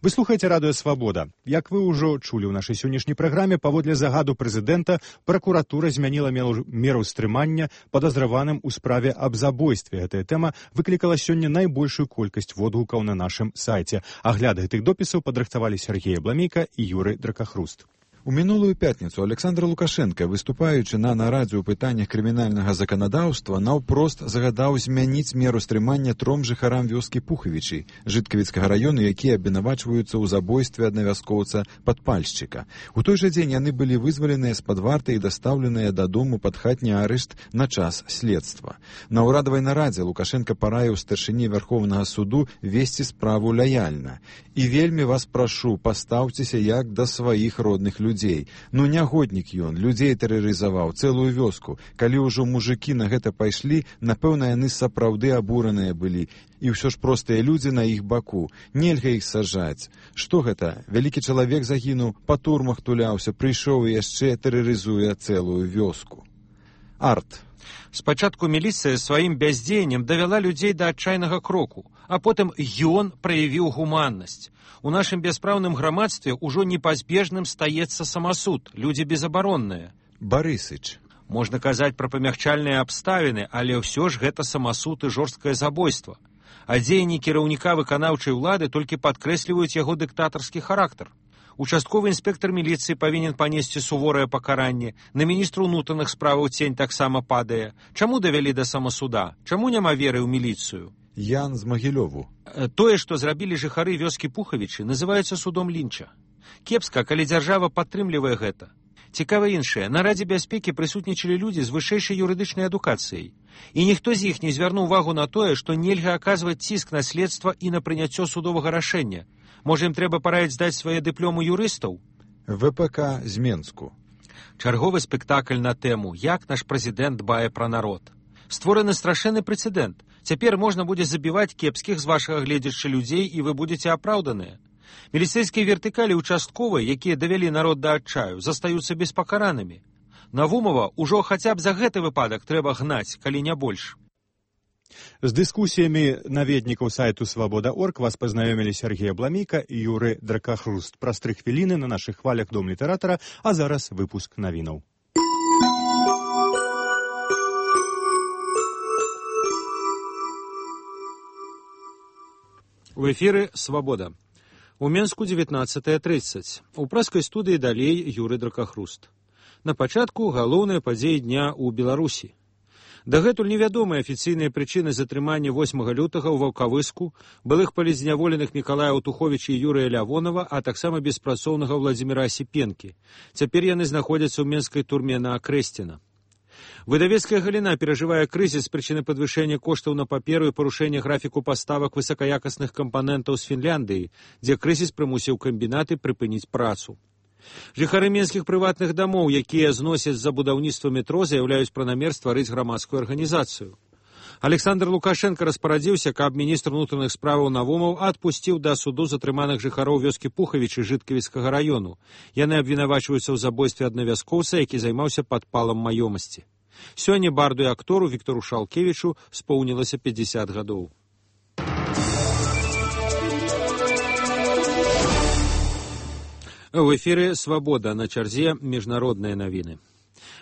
Вы слухаеце радыё «Свабода». Як вы ўжо чулі ў нашай сённяшняй праграме, паводле загаду прэзідэнта, пракуратура змяніла меру стрымання падазраваным у справе аб забойстве. Гэтая тэма выклікала сёння найбольшую колькасць водгукаў на нашым сайце. Агляд гэтых допісаў падрыхтавалі Сергей Абламейка і Юрый Дракахруст. У мінулую пятніцу Александр Лукашенко, выступаючы на нарадзе ў пытаннях крымінальнага заканадаўства, наўпрост загадаў змяніць меру стрымання тром жыхарам вёскі Пухавічы, жыткавіцкага раёну, якія абвінавачваюцца ў забойстве аднавяскоўца падпальшчыка. У той жа дзень яны былі вызваленыя з-пад варты і дастаўленыя дадому пад хатні арышт на час следства. На ўрадавай нарадзе Лукашенко параіў старшыні Вярхоўнага суду весці справу лаяльна. І вельмі вас прашу, пастаўцеся як да сваіх родных людзей. Людзей. Ну, нягоднік ён, людзей тэрарызаваў, цэлую вёску. Калі ўжо мужыкі на гэта пайшлі, напэўна, яны сапраўды абураныя былі. І ўсё ж простыя людзі на іх баку. Нельга іх сажаць. Што гэта? Вялікі чалавек загінуў, па турмах туляўся, прыйшоў і яшчэ тэрарызуе цэлую вёску. Арт. Спачатку міліцыя сваім бяздзеяннем давяла людзей да адчайнага кроку, а потым ён праявіў гуманнасць. У нашым бяспраўным грамадстве ўжо непазбежным стаецца самасуд, людзі безабаронныя. Барысыч. Можна казаць пра памягчальныя абставіны, але ўсё ж гэта самасуд і жорсткае забойства. А дзеянні кіраўніка выканаўчай улады толькі падкрэсліваюць яго дыктатарскі характар. Участковы інспектор міліцыі павінен панесці суворае пакаранне, на міністра ўнутраных справаў цень таксама падае. Чаму давялі да самасуда? Чаму няма веры ў міліцыю? Ян з Магілёву. Тое, што зрабілі жыхары вёскі Пухавічы, называецца судом Лінча. Кепска, калі дзяржава падтрымлівае гэта. Цікава іншае. На Радзе бяспекі прысутнічалі людзі з вышэйшай юрыдычнай адукацыяй. І ніхто з іх не звярнуў увагу на тое, што нельга аказваць ціск на следства і на прыняццё судовага рашэння. Можа, ім трэба параіць здаць свае дыпломы юрыстаў? ВПК з Менску. Чарговы спектакль на тэму «Як наш прэзідэнт дбае пра народ». Створаны страшэнны прэцэдэнт. Цяпер можна будзе забіваць кепскіх з вашага гледзяча людзей, і вы будзеце апраўданыя. Міліцэйскія вертыкалі участковыя, якія давялі народ да адчаю, застаюцца беспакаранымі. Навумова ўжо хаця б за гэты выпадак трэба гнаць, калі не больш. З дыскусіямі наведнікаў сайту свабода точка орг вас пазнаёмілі Сергей Абламейка і Юры Дракахруст. Праз тры хвіліны на нашых хвалях Дом літаратара, а зараз выпуск навінаў. У эфіры «Свабода». У Менску дзевятнаццатая трыццаць. У праскай студыі далей Юры Дракахруст. На пачатку галоўныя падзеі дня ў Беларусі. Дагэтуль невядомыя афіцыйныя прычыны затрымання восьмага лютага ў Ваўкавыску, былых палізняволеных Мікалая Аўтуховіча і Юрыя Лявонова, а таксама беспрацоўнага Владзіміра Асіпенкі. Цяпер яны знаходзяцца ў менскай турме на Акрэсціна. Выдавецкая галіна перажывае крызіс з прычыны падвышэння коштаў на паперу і парушэння графіку паставак высакаякасных кампанентаў з Фінляндыі, дзе крызіс прымусіў камбінаты прыпыніць працу. Жыхары менскіх прыватных дамоў, якія зносяць за будаўніцтва метро, заяўляюць пра намер стварыць грамадскую арганізацыю. Александр Лукашенко распарадзіўся, каб міністр унутраных справаў Навумаў адпусціў да суду затрыманых жыхароў вёскі Пухавічы Жыткавіцкага раёну. Яны абвінавачваюцца ў забойстве аднавязкоўца, які займаўся падпалам маёмасці. Сёння барду і актору Віктору Шалкевічу споўнілася пятьдесят гадоў. У эфіры «Свабода», на чарзе міжнародныя навіны.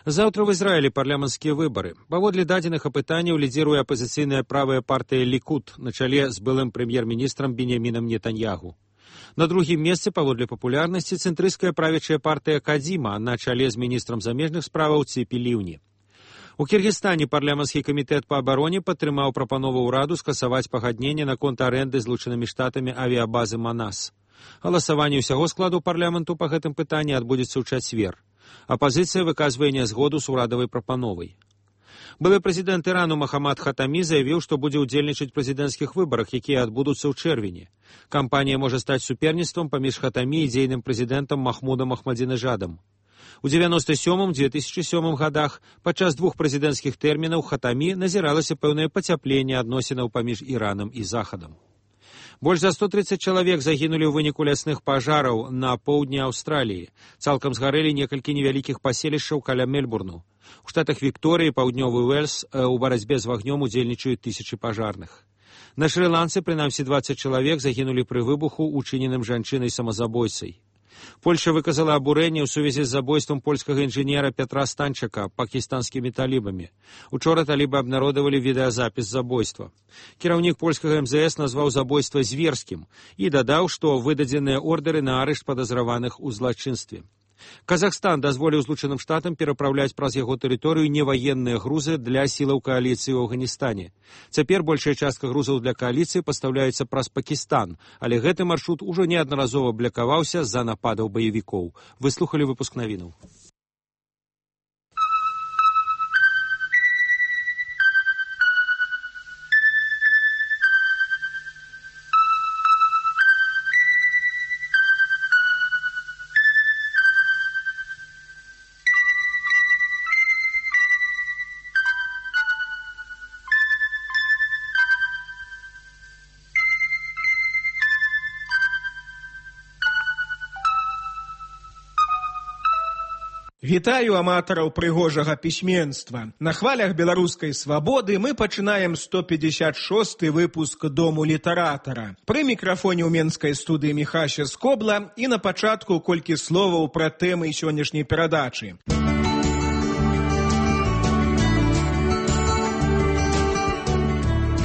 Заўтра в Ізраілі парламенцкія выбары. Паводле дадзеных апытанняў лідзіруе апазіцыйная правая партыя Лікуд на чале з былым прэм'ер-міністрам Беньямінам Нетаньягу. На другім месцы паводле папулярнасці цэнтрысцкая правячая партыя Кадзіма на чале з міністрам замежных справаў Ціпі Ліўні. У Кіргізстане парламенцкі камітэт па абароне падтрымаў прапанову ўраду скасаваць пагадненне наконт арэнды злучанымі штатамі авіябазы Манас. Галасаванне ўсяго складу парламенту па гэтым пытанні адбудзецца ў чацвер. Апазіцыя выказвае нязгоду з урадавай прапановай. Былы прэзідэнт Ірану Махамад Хатамі заявіў, што будзе ўдзельнічаць у прэзідэнцкіх выбарах, якія адбудуцца ў чэрвені. Кампанія можа стаць суперніцтвам паміж Хатамі і дзейным прэзідэнтам Махмудам Ахмадзінежадам. У дзевяноста сёмым — две тысячи сёмым гадах падчас двух прэзідэнцкіх тэрмінаў Хатамі назіралася пэўнае пацяпленне адносінаў паміж Іранам і Захадам. Больш за сто тридцать чалавек загінулі ў выніку лясных пажараў на поўдні Аўстраліі. Цалкам згарэлі некалькі невялікіх паселішчаў каля Мельбурну. У штатах Вікторыі, паўднёвы Уэльс у барацьбе з вагнём удзельнічаюць тысячы пажарных. На Шры-Ланцы прынамсі двадцать чалавек загінулі пры выбуху, учыненым жанчынай-самазабойцай. Польша выказала абурэнне ў сувязі з забойствам польскага інжынера Петра Станчака пакістанскімі талібамі. Учора талібы абнародавалі відэазапіс забойства. Кіраўнік польскага эм зэ эс назваў забойства зверскім і дадаў, што выдадзеныя ордэры на арышт падазраваных у злачынстве. Казахстан дазволіў Злучаным Штатам перапраўляць праз яго тэрыторыю неваенныя грузы для сілаў кааліцыі ў Афганістане. Цяпер большая частка грузаў для кааліцыі пастаўляецца праз Пакістан, але гэты маршрут ужо неаднаразова блакаваўся з-за нападаў баевікоў. Выслухалі выпуск навінаў. Вітаю аматараў прыгожага пісьменства. На хвалях беларускай свабоды мы пачынаем сто пятьдесят шосты выпуск Дому літаратара. Пры мікрафоне ў менскай студыі Міхася Скобла і на пачатку колькі словаў пра тэмы сённяшняй перадачы.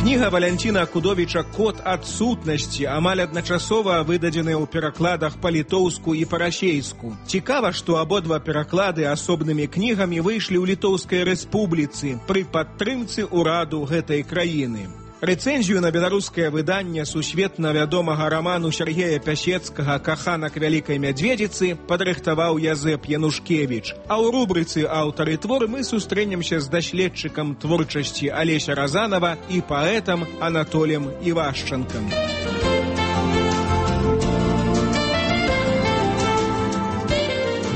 Кніга Валянціна Акудовіча «Код адсутнасці» амаль адначасова выдадзеная ў перакладах па-літоўску і па-расейску. Цікава, што абодва пераклады асобнымі кнігамі выйшлі ў Літоўскай рэспубліцы пры падтрымцы ўраду гэтай краіны. Рэцэнзію на беларускае выданне сусветна вядомага раману Сергея Пясецкага «Каханак вялікай мядзведзіцы» падрыхтаваў Язэп Янушкевіч. А ў рубрыцы «Аўтары твор» мы сустрэнемся з даследчыкам творчасці Алеся Разанова і паэтам Анатолем Івашчанкам.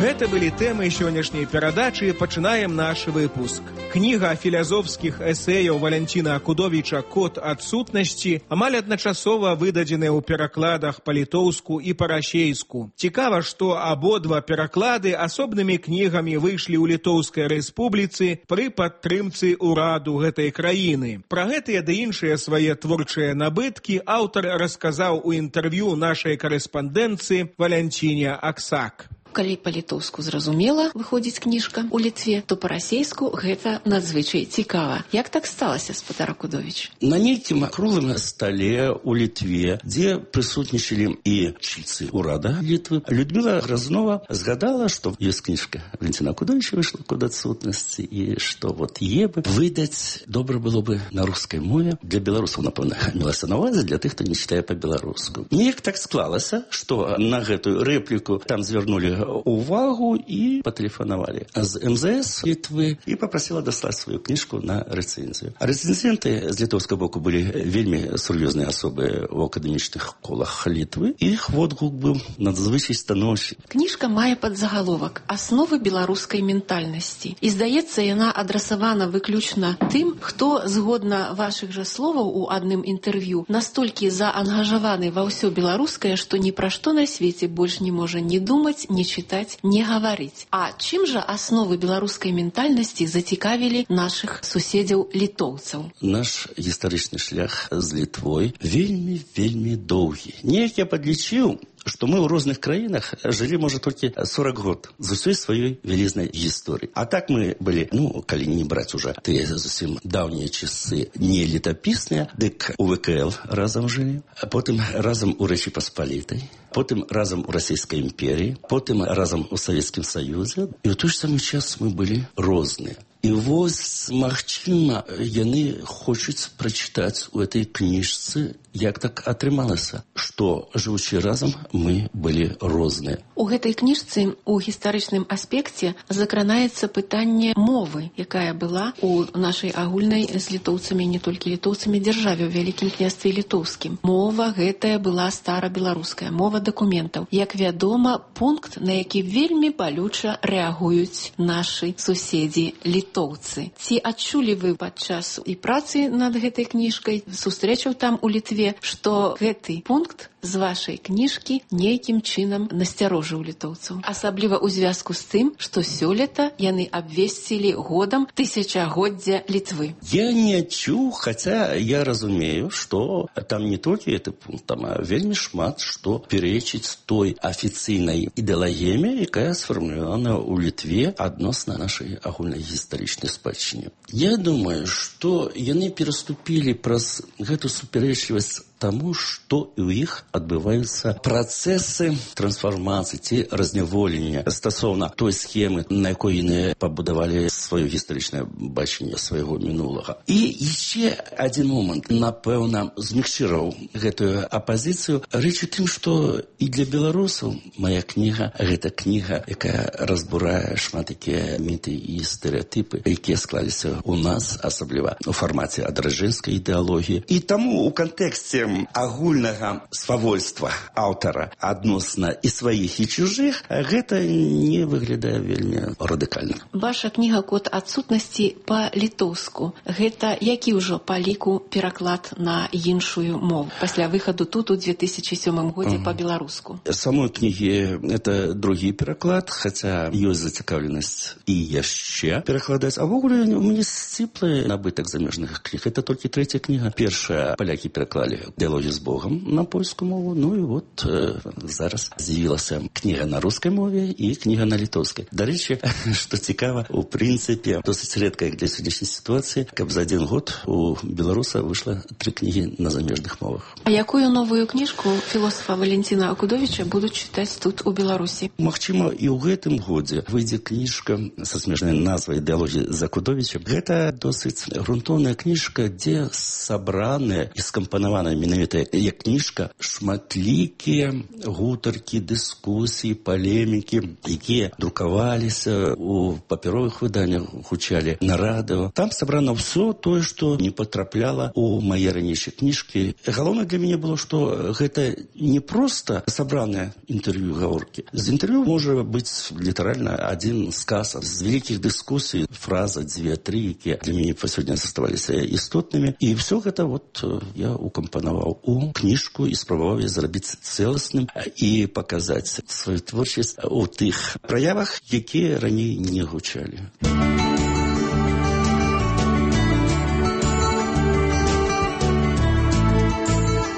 Гэта былі тэмы сённяшняй перадачы. Пачынаем наш выпуск. Кніга філазофскіх эсэяў Валянціна Акудовіча «Код адсутнасці» амаль адначасова выдадзеная ў перакладах па-літоўску і па-расейску. Цікава, што абодва пераклады асобнымі кнігамі выйшлі ў Літоўскай рэспубліцы пры падтрымцы ўраду гэтай краіны. Пра гэтыя ды іншыя свае творчыя набыткі аўтар расказаў у інтэрв'ю нашай карэспандэнцыі Валянціне Аксак. Калі па-літоўску зразумела выходзіць кніжка ў Літве, то па-расейску гэта надзвычай цікава. Як так сталася, спадар Акудовіч? На нейкім круглым стале ў Літве, дзе прысутнічалі і чыцы ўрада Літвы, Людміла Грознова згадала, што ёсць кніжка Валянціна Акудовіча выйшла «Код адсутнасці», і што вот е бы выдаць добра было бы на рускай мове. Для беларусаў, напэўна, мелася на увазе, для тых, хто не чытае па-беларуску. Неяк так склалася, што на гэтую рэпліку там звярнули увагу і патэлефанавалі з эм зэ эс Літвы і папрасіла даслаць сваю кніжку на рэцэнзію. А рэцэнзенты з літоўскага боку былі вельмі сур'ёзныя асобы ў акадэмічных колах Літвы. Іх водгук быў надзвычай станоўчы. Кніжка мае падзагаловак «Асновы беларускай ментальнасці». І, здаецца, яна адрасавана выключна тым, хто, згодна вашых жа словаў у адным інтэрв'ю, настолькі заангажаваны ва ўсё беларускае, што ні пра што на свеце больш не можа ні думаць, ні чытаць, не гаварыць. А чым жа асновы беларускай ментальнасці зацікавілі нашых суседзяў літоўцаў? Наш гістарычны шлях з Літвой вельмі-вельмі доўгі. Неяк я падлічыў, што мы ў розных краінах жылі, можа, толькі сорок год з усёй сваёй вялізнай гісторыі. А так мы былі, ну, калі не браць уже тыя зусім даўнія часы не летапісныя, дык у вэ ка эл разам жылі, а потым разам у Рэчы Паспалітай, потым разам у Расійскай імперіі, потым разам у Савецкім Саюзе. І ў той ж самы час мы былі розныя. І вось, магчыма, яны хочуць прачытаць у этой кніжцы, як так атрымалася, што, жывучы разам, мы былі розныя. У гэтай кніжцы у гістарычным аспекце закранаецца пытанне мовы, якая была у нашай агульнай з літоўцамі, не толькі літоўцамі, дзяржаве ў Вялікім княстве літоўскім. Мова гэтая была старабеларуская, мова дакументаў. Як вядома, пункт, на які вельмі балюча рэагуюць нашы суседзі літоўцы. Ці адчулі вы падчас і працы над гэтай кніжкай, сустрэчаў там у Літве, што гэты пункт з вашай кніжкі нейкім чынам насцярожыў літоўцаў? Асабліва ў звязку з тым, што сёлета яны абвесцілі годам тысячагоддзя Літвы. Я не адчуў, хаця я разумею, што там не толькі гэты пункт, там вельмі шмат што перечыць той афіцыйнай ідэалагіі, якая сфармулявана ў Літве адносна нашай агульнай гістарычнай спадчыне. Я думаю, што яны пераступілі праз гэту супярэчлівасць таму, што і ў іх адбываюцца працэсы трансфармацыі ці разняволення стасоўна той схемы, на якой яны пабудавалі сваё гістарычнае бачанне свайго мінулага. І яшчэ адзін момант, напэўна, змякчыраў гэтую апазіцыю. Рэч у тым, што і для беларусаў мая кніга — гэта кніга, якая разбурае шмат якія міты і стэрэатыпы, якія склаліся ў нас, асабліва у фармаце адраджэнскай ідэалогіі. І таму у кантэксце агульнага свавольства аўтара адносна і сваіх, і чужых, гэта не выглядае вельмі радыкальна. Ваша кніга «Код адсутнасці» па-літоўску. Гэта які ўжо па ліку пераклад на іншую мову пасля выхаду тут у две тысячи сёмым годзе uh-huh. па-беларуску? Самой кнігі это другі пераклад, хаця ёсць зацікаўленасць і яшчэ перакладаць. А ввогуле у мяне сціплы набытак замежных кніг. Это толькі трэця кніга. Першая палякі пераклалі «Дыялогі з Богом» на польскую мову. Ну і от э, зараз з'явілася книга на рускай мове і книга на літоўскай. До речі, што цікава, у прынцыпе, досыць рэдка для сённяшняй сітуацыі, каб за один год у беларуса выйшла три книги на замежных мовах. А якую новую книжку філосафа Валентина Акудовича будуць чытаць тут у Беларусі? Магчыма, і ў гэтым годзе выйдзе кніжка са смешнай назвай «Дыялогі з Акудовічам». Гэта досыць грунтоўная кніжка, дзе сабраныя і скампанаваная менавіта як кніжка шматлікія гутаркі, дыскусіі, палемікі, якія друкаваліся у папяровых выданнях, гучалі на радыё. Там сабрана ўсё тое, што не патрапляла у мае ранейшыя кніжкі. Галоўнае для мяне было, што гэта не проста сабраныя інтэрв'ю, гаворкі. З інтэрв'ю можа быць літаральна адзін сказ з вялікіх дыскусій, фраза, дзве, тры, якія для мяне па сёння заставаліся істотнымі. І все гэта вот я укампанаваў у кніжку і спрабаваў зрабіць цэласным і паказаць сваю творчасць у тых праявах, якія раней не гучалі.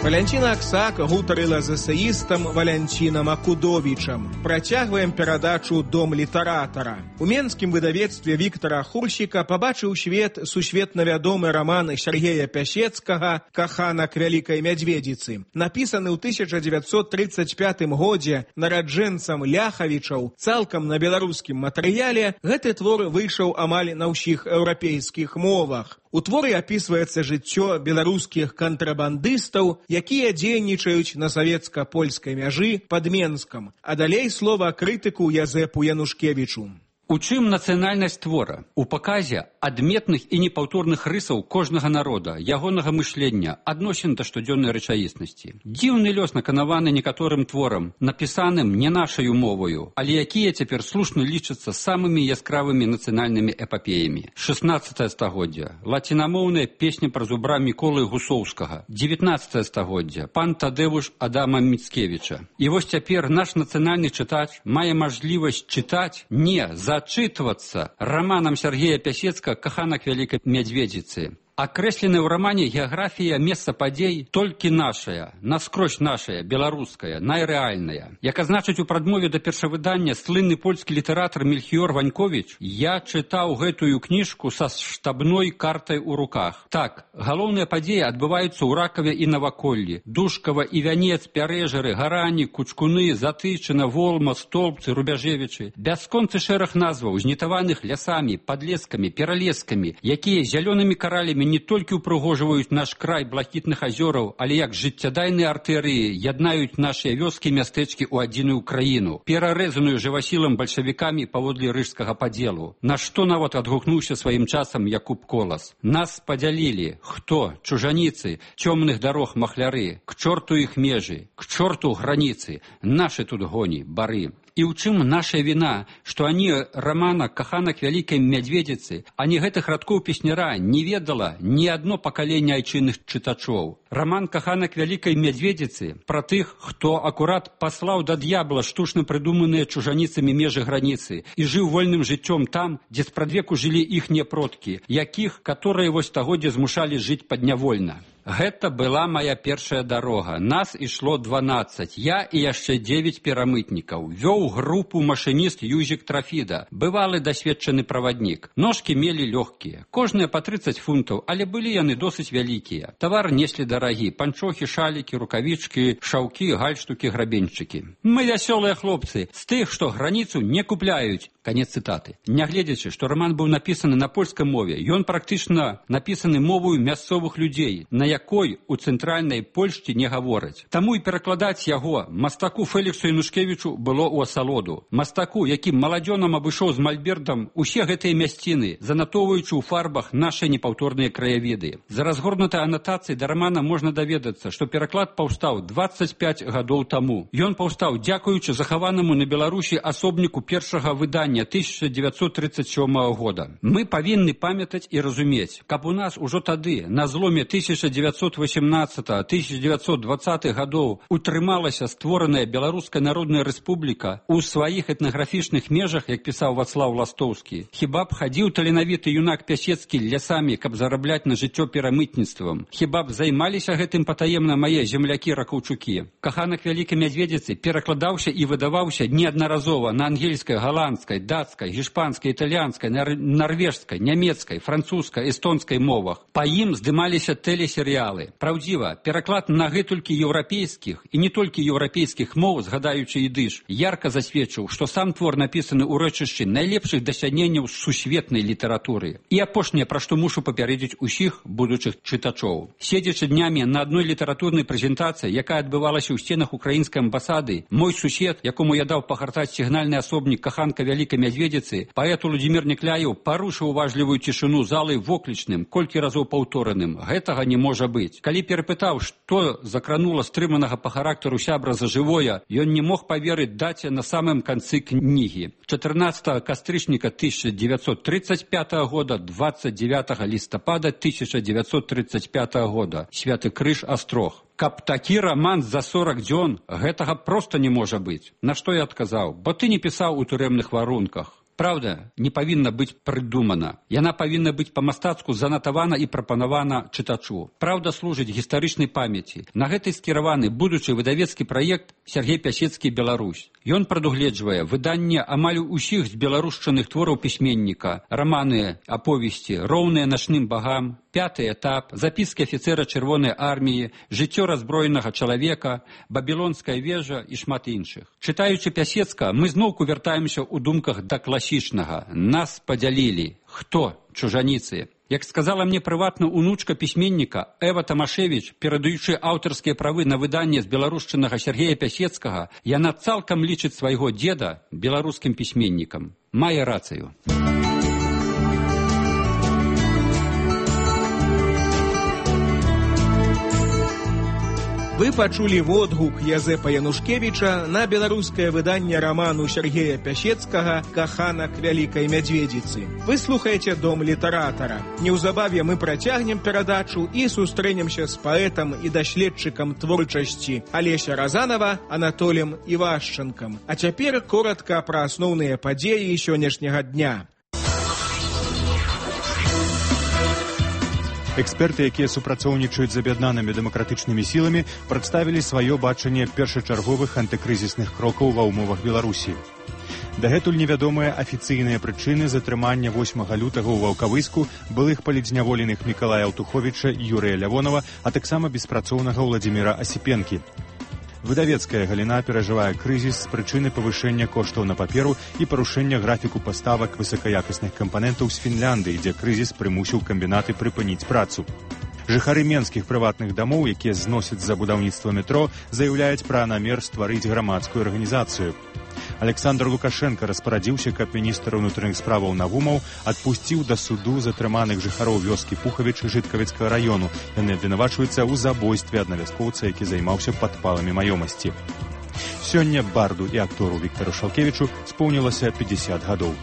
Валянціна Аксак гутарыла з эсеістам Валянцінам Акудовічам. Працягваем перадачу «Дом літаратара». У менскім выдавецтве Віктара Хурсіка пабачыў свет сусветна вядомы раман Сергея Пясецкага «Каханак вялікай мядзведзіцы». Напісаны ў тысяча дзевяцьсот трыццаць пятым годзе нараджэнцам Ляхавічаў цалкам на беларускім матэрыяле, гэты твор выйшаў амаль на ўсіх еўрапейскіх мовах. У творы апісваецца жыццё беларускіх кантрабандыстаў, якія дзейнічаюць на савецка-польскай мяжы пад Менскам. А далей слова крытыку Язэпу Янушкевічу. У чым нацыянальнасць твора? У паказе адметных і непаўторных рысаў кожнага народа, ягонага мышлення, адносін да штодзённай рэчаіснасці. Дзіўны лёс наканаваны некаторым творам, напісаным не нашаю моваю, але якія цяпер слушна лічацца самымі яскравымі нацыянальнымі эпапеямі. шаснаццатае стагоддзе. Лацінамоўная песня пра зубра Міколы Гусоўскага. дзевятнаццатае стагоддзе. Пан Тадэвуш Адама Міцкевіча. І вось цяпер наш нацыянальны чытач мае мажлівасць чытаць не за зачитываться романом Сергея Пясецкага «Каханак вялікай мядзведзіцы». Акрэсленая ў рамане геаграфія месца падзей толькі нашая, наскрозь нашая, беларуская, найрэальная. Як азначыць у прадмове да першавыдання слынны польскі літаратар Мельхіёр Ваньковіч, я чытаў гэтую кніжку са штабной картай у руках. Так, галоўныя падзеі адбываюцца ў Ракаве і Наваколлі, Душкава і Вянец, Пярэжары, Гарані, Кучкуны, Затычына, Волма, Столбцы, Рубяжевічы. Бясконцы шэраг назваў, знітаваных лясамі, падлескамі, пералескамі, якія зялёнымі каралямі не толькі ўпрыгожваюць наш край блакітных азёраў, але як жыццядайныя артэрыі яднаюць нашыя вёскі і мястэчкі ў адзіную краіну, перарэзаную жывасілам бальшавікамі паводле рыжскага падзелу. На што нават адгукнуўся сваім часам Якуб Колас. Нас падзялілі. Хто? Чужаніцы, цёмных дарог махляры. К чорту іх межы, к чорту граніцы. Нашы тут гоні, бары. І ў чым наша віна, што ані рамана «Каханак вялікай мядзведзіцы», ані гэтых радкоў песняра не ведала ні адно пакаленне айчынных чытачоў. Раман «Каханак вялікай мядзведзіцы» пра тых, хто акурат паслаў да д'ябла штучна прыдуманыя чужаніцамі межы граніцы і жыў вольным жыццём там, дзе спрадвеку жылі іхнія продкі, якіх, каторыя вось стагоддзя змушалі жыць паднявольна. Гэта была моя першая дарога. Нас ішло дванаццаць. Я і яшчэ дзевяць перамытнікаў. Вёў групу машыніст Юзік Трафіда, бывалы дасведчаны праваднік. Ножкі мелі лёгкія. Кожныя па трыццаць фунтаў, але былі яны досыць вялікія. Тавар неслі дарагі. Панчохі, шалікі, рукавічкі, шаўкі, гальштукі, грабеньчыкі. Мы вясёлыя хлопцы, з тых, што граніцу не купляюць. Канец цытаты. Нягледзячы, што раман быў напісаны на польскай мове, ён практычна напісаны мовою мясцовых людзей, на якой у цэнтральнай Польшчы не гавораць. Таму і перакладаць яго мастаку Фэліксу Янушкевічу было ў асалоду. Мастаку, які маладзёнам абышоў з мальбертам усе гэтыя мясціны, занатоўваючы ў фарбах нашы непаўторныя краявіды. За разгорнутай анатацыяй да рамана можна даведацца, што пераклад паўстаў дваццаць пяць гадоў таму. Ён паўстаў дзякуючы захаванаму на Беларусі асобніку першага выдання паўстання тысяча девятьсот тридцать сёмага года. Мы павінны памятаць і разумець, каб у нас ужо тады, на зломе тысяча девятьсот восемнадцатого — тысяча девятьсот двадцатых гадоў, утрымалася створаная Беларуская Народная Рэспубліка у сваіх этнаграфічных межах, як пісаў Вацлаў Ластоўскі. Хіба б хадзіў таленавіты юнак Пясецкі лясамі, каб зарабляць на жыццё перамытніцтвам? Хіба б займаліся гэтым патаемна мае землякі-ракаўчукі? Каханак Вялікай Мядзведзіцы перакладаўся і выдаваўся неаднаразова на ангельскай, галандскай, дацкай, гішпанскай, італьянскай, нар нарвежскай, нямецкай, французскай, эстонскай мовах. Па ім здымаліся тэлесерыялы. Праўдзіва, пераклад на гэтулькі еўрапейскіх і не толькі еўрапейскіх моў, згадаючы ідыш, ярка засведчыў, што сам твор напісаны ў рэчышчы найлепшых дасягненняў сусветнай літаратуры. І апошняе, пра што мушу папярэдзіць усіх будучых чытачоў. Седзячы днямі на адной літаратурнай прэзентацыі, якая адбывалася ў сценах украінскай амбасады, мой сусед, якому я даў пагартаць сігнальны асобнік каханка Вялікай Мядзведзіцы, паэт Уладзімір Некляеў парушыў уважлівую цішыну залы воклічным, колькі разоў паўтораным. Гэтага не можа быць. Калі перапытаў, што закранула стрыманага па характару сябра за жывое, ён не мог паверыць даце на самым канцы кнігі. чатырнаццатага кастрычніка тысяча девятьсот тридцать пятого года, двадцать девятого лістапада тысяча девятьсот тридцать пятого года. Святы Крыж, Астрог. Каб такі раман за сорок дзён, гэтага проста не можа быць. На што я адказаў? Бо ты не пісаў у турэмных варунках. Праўда не павінна быць прыдумана. Яна павінна быць па-мастацку занатавана і прапанавана чытачу. Праўда служыць гістарычнай памяці. На гэтай скіраваны будучы выдавецкі праект Сергей Пясецкі «Беларусь». Ён прадугледжвае выданне амаль усіх з беларушчаных твораў пісьменніка, раманы, аповесці, роўныя начным багам, пяты этап, запіскі афіцэра Чырвонай арміі, жыццё раззброенага чалавека, бабілонская вежа і шмат іншых. Чытаючы Пясецка, мы зноўку вяртаемся ў думках да класічнага. Нас падзялілі. Хто? Чужаніцы. Як сказала мне прыватна унучка пісьменніка Эва Тамашевіч, перадаючы аўтарскія правы на выданне з беларушчынага Сергея Пясецкага, яна цалкам лічыць свайго дзеда беларускім пісьменнікам. Мае рацыю. Вы пачулі водгук Язэпа Янушкевіча на беларускае выданне раману Сергея Пясецкага «Каханак Вялікай Мядзведзіцы». Вы слухаеце «Дом літаратара». Неўзабаве мы працягнем перадачу і сустрэнемся з паэтам і даследчыкам творчасці Алеся Разанова Анатолем Івашчанкам. А цяпер коротка пра асноўныя падзеі сённяшняга дня. Эксперты, якія супрацоўнічаюць з аб'яднанымі дэмакратычнымі сіламі, прадставілі сваё бачанне першачарговых антыкрызісных крокаў ва ўмовах Беларусі. Дагэтуль невядомыя афіцыйныя прычыны затрымання восьмага лютага ў Ваўкавыску былых палідзняволеных Мікалая Аўтуховіча і Юрыя Лявонова, а таксама беспрацоўнага Ўладзіміра Асіпенкі. Выдавецкая галіна перажывае крызіс з прычыны павышэння коштаў на паперу і парушэння графіку паставак высакаякасных кампанентаў з Фінляндыі, дзе крызіс прымусіў камбінаты прыпыніць працу. Жыхары менскіх прыватных дамоў, якія зносяць за будаўніцтва метро, заяўляюць пра намер стварыць грамадскую арганізацыю. Александр Лукашенко распарадзіўся, каб міністр унутраных справаў Навумаў адпусціў да суду затрыманых жыхароў вёскі Пухавіч Жыткавіцкага раёну. Яны абвінавачваюцца ў забойстве аднавяскоўца, які займаўся падпаламі маёмасці. Сёння барду і актору Віктару Шалкевічу споўнілася пятьдесят гадоў.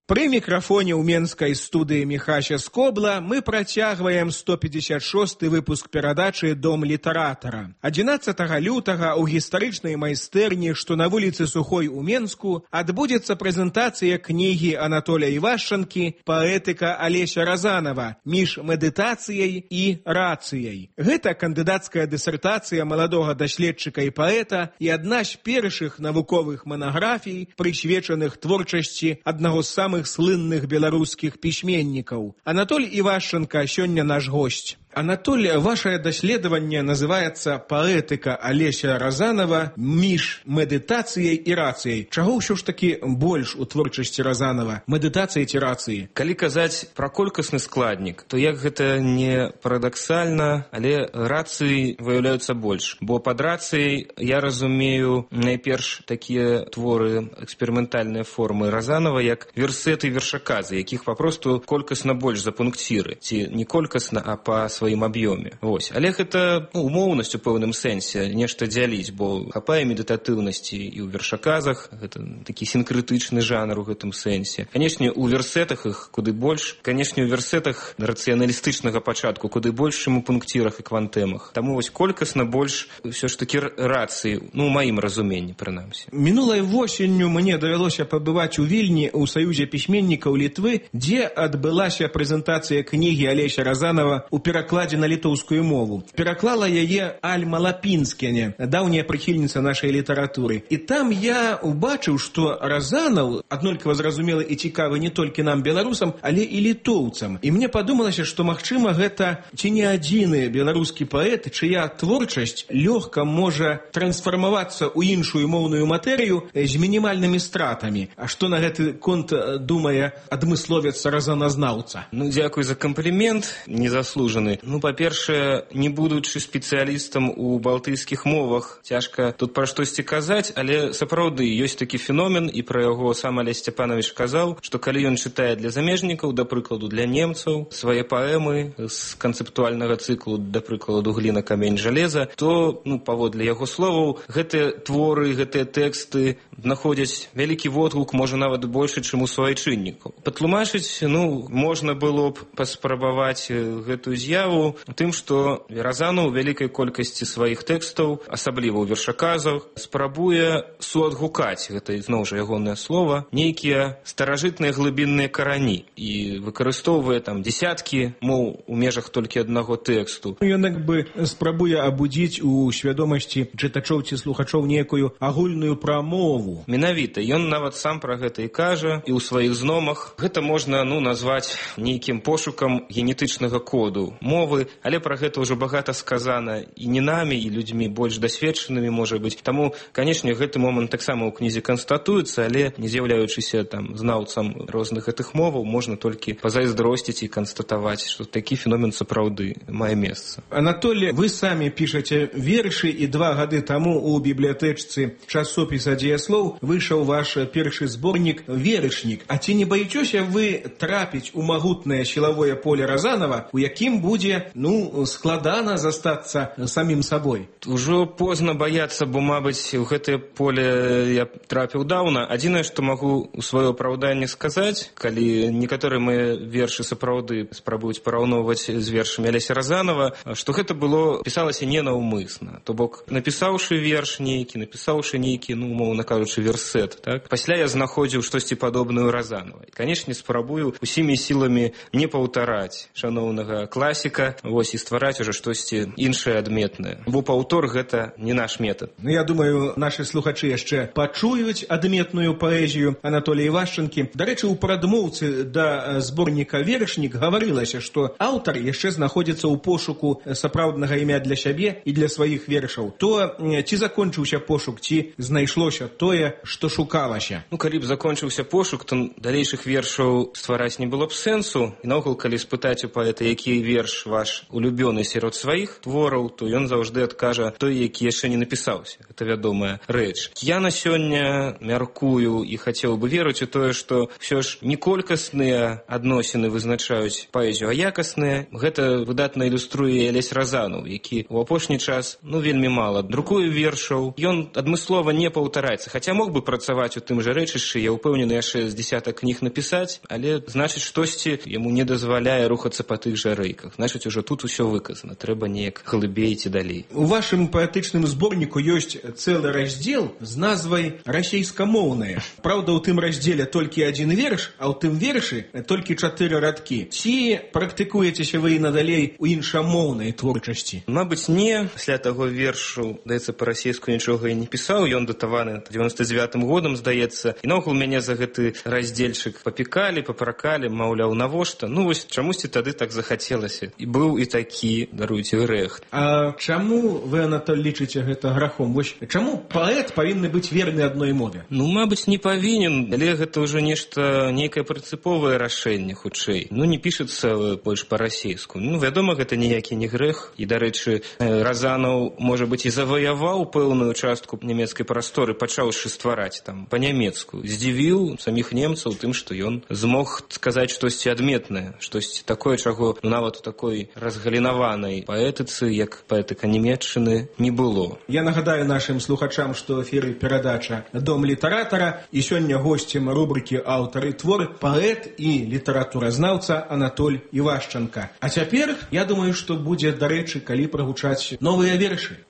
Пры мікрафоне ў менскай студыі Міхася Скобла мы працягваем сто пятьдесят шосты выпуск перадачы «Дом літаратара». адзінаццатага лютага ў гістарычнай майстэрні, што на вуліцы Сухой у Менску, адбудзецца прэзентацыя кнігі Анатоля Івашчанкі «Паэтыка Алеся Разанова. Між медытацыяй і рацыяй». Гэта кандыдацкая дысертацыя маладога даследчыка і паэта і адна з першых навуковых манаграфій, прысвечаных творчасці аднаго з самых слынных беларускіх пісьменнікаў. Анатоль Івашчанка сёння наш госць. Анатоль, ваше даследаванне называецца «Паэтыка Алеся Разанова. Між медытацыяй і рацыяй». Чаго ўсё ж такі больш у творчасці Разанова? Медытацыі ці рацыі? Калі казаць пра колькасны складнік, то як гэта не парадаксальна, але рацыі выяўляюцца больш. Бо пад рацыяй я разумею найперш такія творы, эксперыментальныя формы Разанова, як версеты вершаказы, якіх папросту колькасна больш за пункціры. Ці не колькасна, а па сваёй сваім аб'ёме. Вось. Але гэта ну, умоўнасць у пэўным сэнсе нешта дзяліць, бо хапае медытатыўнасці і ў вершаказах, гэта такі сінкрытычны жанр у гэтым сэнсе. Канешне, у версетах іх куды больш, канешне, у версетах рацыяналістычнага пачатку куды больш, чым у пунктірах і квантэмах. Таму вось колькасна больш ўсё ж такі рацыі, ну, у маім разуменні, прынамсі. Мінулай восенню мне давялося пабываць у Вільні ў Саюзе пісьменнікаў Літвы, дзе адбылася прэзентацыя кнігі Алеся Разанова ў перакладзе на літоўскую мову. Пераклала яе Альма Лапінскене, даўняя прыхільніца нашай літаратуры. І там я убачыў, што Разанаў аднолькава зразумелы і цікавы не толькі нам, беларусам, але і літоўцам. І мне падумалася, што, магчыма, гэта ці не адзіны беларускі паэт, чыя творчасць лёгка можа трансфармавацца ў іншую моўную матэрыю з мінімальнымі стратамі. А што на гэты конт думае адмысловец разаназнаўца? Ну, дзякуй за камплімент, незаслужаны. Ну, па-першае, не будучы спецыялістам у балтыйскіх мовах, цяжка тут пра штосьці казаць, але сапраўды ёсць такі феномен, і пра яго сам Алесь Сцяпанович казаў, што калі ён чытае для замежнікаў, да прыкладу для немцаў, свае паэмы з канцэптуальнага цыклу, да прыкладу гліна, камень, жалеза, то, ну, паводле яго словаў, гэтыя творы, гэтыя тэксты знаходзяць вялікі водгук, можа нават большы, чым у суайчыннікаў. Патлумачыць, ну, можна было б паспрабаваць гэтую з'яву тым, што Разанаў у вялікай колькасці сваіх тэкстаў, асабліва ў вершаказах, спрабуе суадгукаць, гэта зноў жа ягонае слова, нейкія старажытныя глыбінныя карані і выкарыстоўвае там дзесяткі моў у межах толькі аднаго тэксту. Ён як бы спрабуе абудзіць у свядомасці чытачоў ці слухачоў некую агульную прамову. Менавіта, ён нават сам пра гэта і кажа, і ў сваіх зномах. Гэта можна, ну, назваць нейкім пошукам генетычнага коду мовы, але пра гэта ўжо багата сказана і не намі, і людзьмі больш дасведчанымі, можа быць. Таму, канешне, гэты момант таксама ў кнізе канстатуецца, але не з'яўляючыся там знаўцам розных гэтых моваў, можна толькі пазайздросціць і канстатаваць, што такі феномен сапраўды мае месца. Анатолий, вы самі пішаце вершы, і два гады таму у бібліятэчцы часопіса «Дзеяслоў» выйшаў ваш першы зборнік «Верышнік». А ці не баіцеся вы трапіць у магутнае сілавое поле Разанова, у якім будзе, ну, складана застацца самім сабой? Ужо позна баяцца, бо, мабыць, у гэтае поле я трапіў даўна. Адзінае, што магу у сваё апраўданне сказаць, калі некаторыя мае вершы сапраўды спрабуюць параўноўваць з вершамі Алеся Разанова, што гэта было, пісалася ненаўмысна. То бок, напісаўшы верш нейкі, напісаўшы нейкі, ну, умоўна кажучы, версет, так? Пасля я знаходзіў штосьці падобнае ў Разанова. І, канешне, спрабую усімі сіламі не паўтараць шаноўнага класіка, вось, і ствараць ужо штосьці іншае адметнае. Бо паўтор гэта не наш метад. Ну, я думаю, нашы слухачы яшчэ пачуюць адметную паэзію Анатолія Івашчанкі. Дарэчы, у прадмоўцы да зборніка «Верышнік» гаварылася, што аўтар яшчэ знаходзіцца ў пошуку сапраўднага імя для сябе і для сваіх вершаў. То ці закончыўся пошук, ці знайшлося тое, што шукалася? Ну, калі б закончыўся пошук, то далейшых вершаў ствараць не было б сэнсу. І наогул, калі спытаць у паэта, які верш ваш улюбёны сярод сваіх твораў, то ён заўжды адкажа той, які яшчэ не напісаўся. Гэта вядомая рэч. Я на сёння мяркую і хацеў бы верыць у тое, што ўсё ж не колькасныя адносіны вызначаюць паэзію, а якасныя. Гэта выдатна ілюструе Алесь Разанаў, які ў апошні час, ну, вельмі мала друкуе вершаў. Ён адмыслова не паўтараецца, хаця мог бы працаваць у тым жа рэчышчы, я ўпэўнены, яшчэ з дзесятак кніг напісаць, але, значыць, штосьці яму не дазваляе рухацца па тых жа рэйках. Значыць, ужо тут усё выказана, трэба неяк глыбей ці далей. У вашым паэтычным зборніку ёсць цэлы раздзел з назвай «Расейскамоўнае». Праўда, у тым раздзеле толькі адзін верш, а ў тым вершы толькі чатыры радкі. Ці практыкуецеся вы і надалей у іншамоўнай творчасці? Мабыць, не. Пасля таго вершу, здаецца, па-расейску нічога і не пісаў. Ён датаваны дзевяноста дзевятым годам, здаецца. І наогул мяне за гэты раздзельчык папікалі, папракалі, маўляў, навошта? Ну, вось чамусьці тады так захацелася. І быў і такі, даруйце, грэх. А чаму вы, Анатоль, лічыце гэта грахом? Вось чаму паэт павінны быць верны адной мове? Ну, мабыць, не павінен, але гэта ўжо нешта, нейкае прынцыповае рашэнне, хутчэй. Ну, не пішацца больш па-расейску. Ну, вядома, гэта ніякі не грэх. І, дарэчы, Разанаў, можа быць, і заваяваў пэўную частку нямецкай прасторы, пачаўшы ствараць там па-нямецку. Здзівіў саміх немцаў тым, што ён змог сказаць штосьці адметнае, штосьці такое, чаго, ну, нават у такой такой разгалінаванай паэтыцы, як паэтыка Нямецчыны, не было. Я нагадаю нашим слухачам, што ў эфіры перадача «Дом літаратара», і сёння госцем рубрыкі «Аўтар і твор» паэт і літаратуразнаўца Анатоль Івашчанка. А цяпер, я думаю, што будзе дарэчы, калі прагучаць новыя вершы.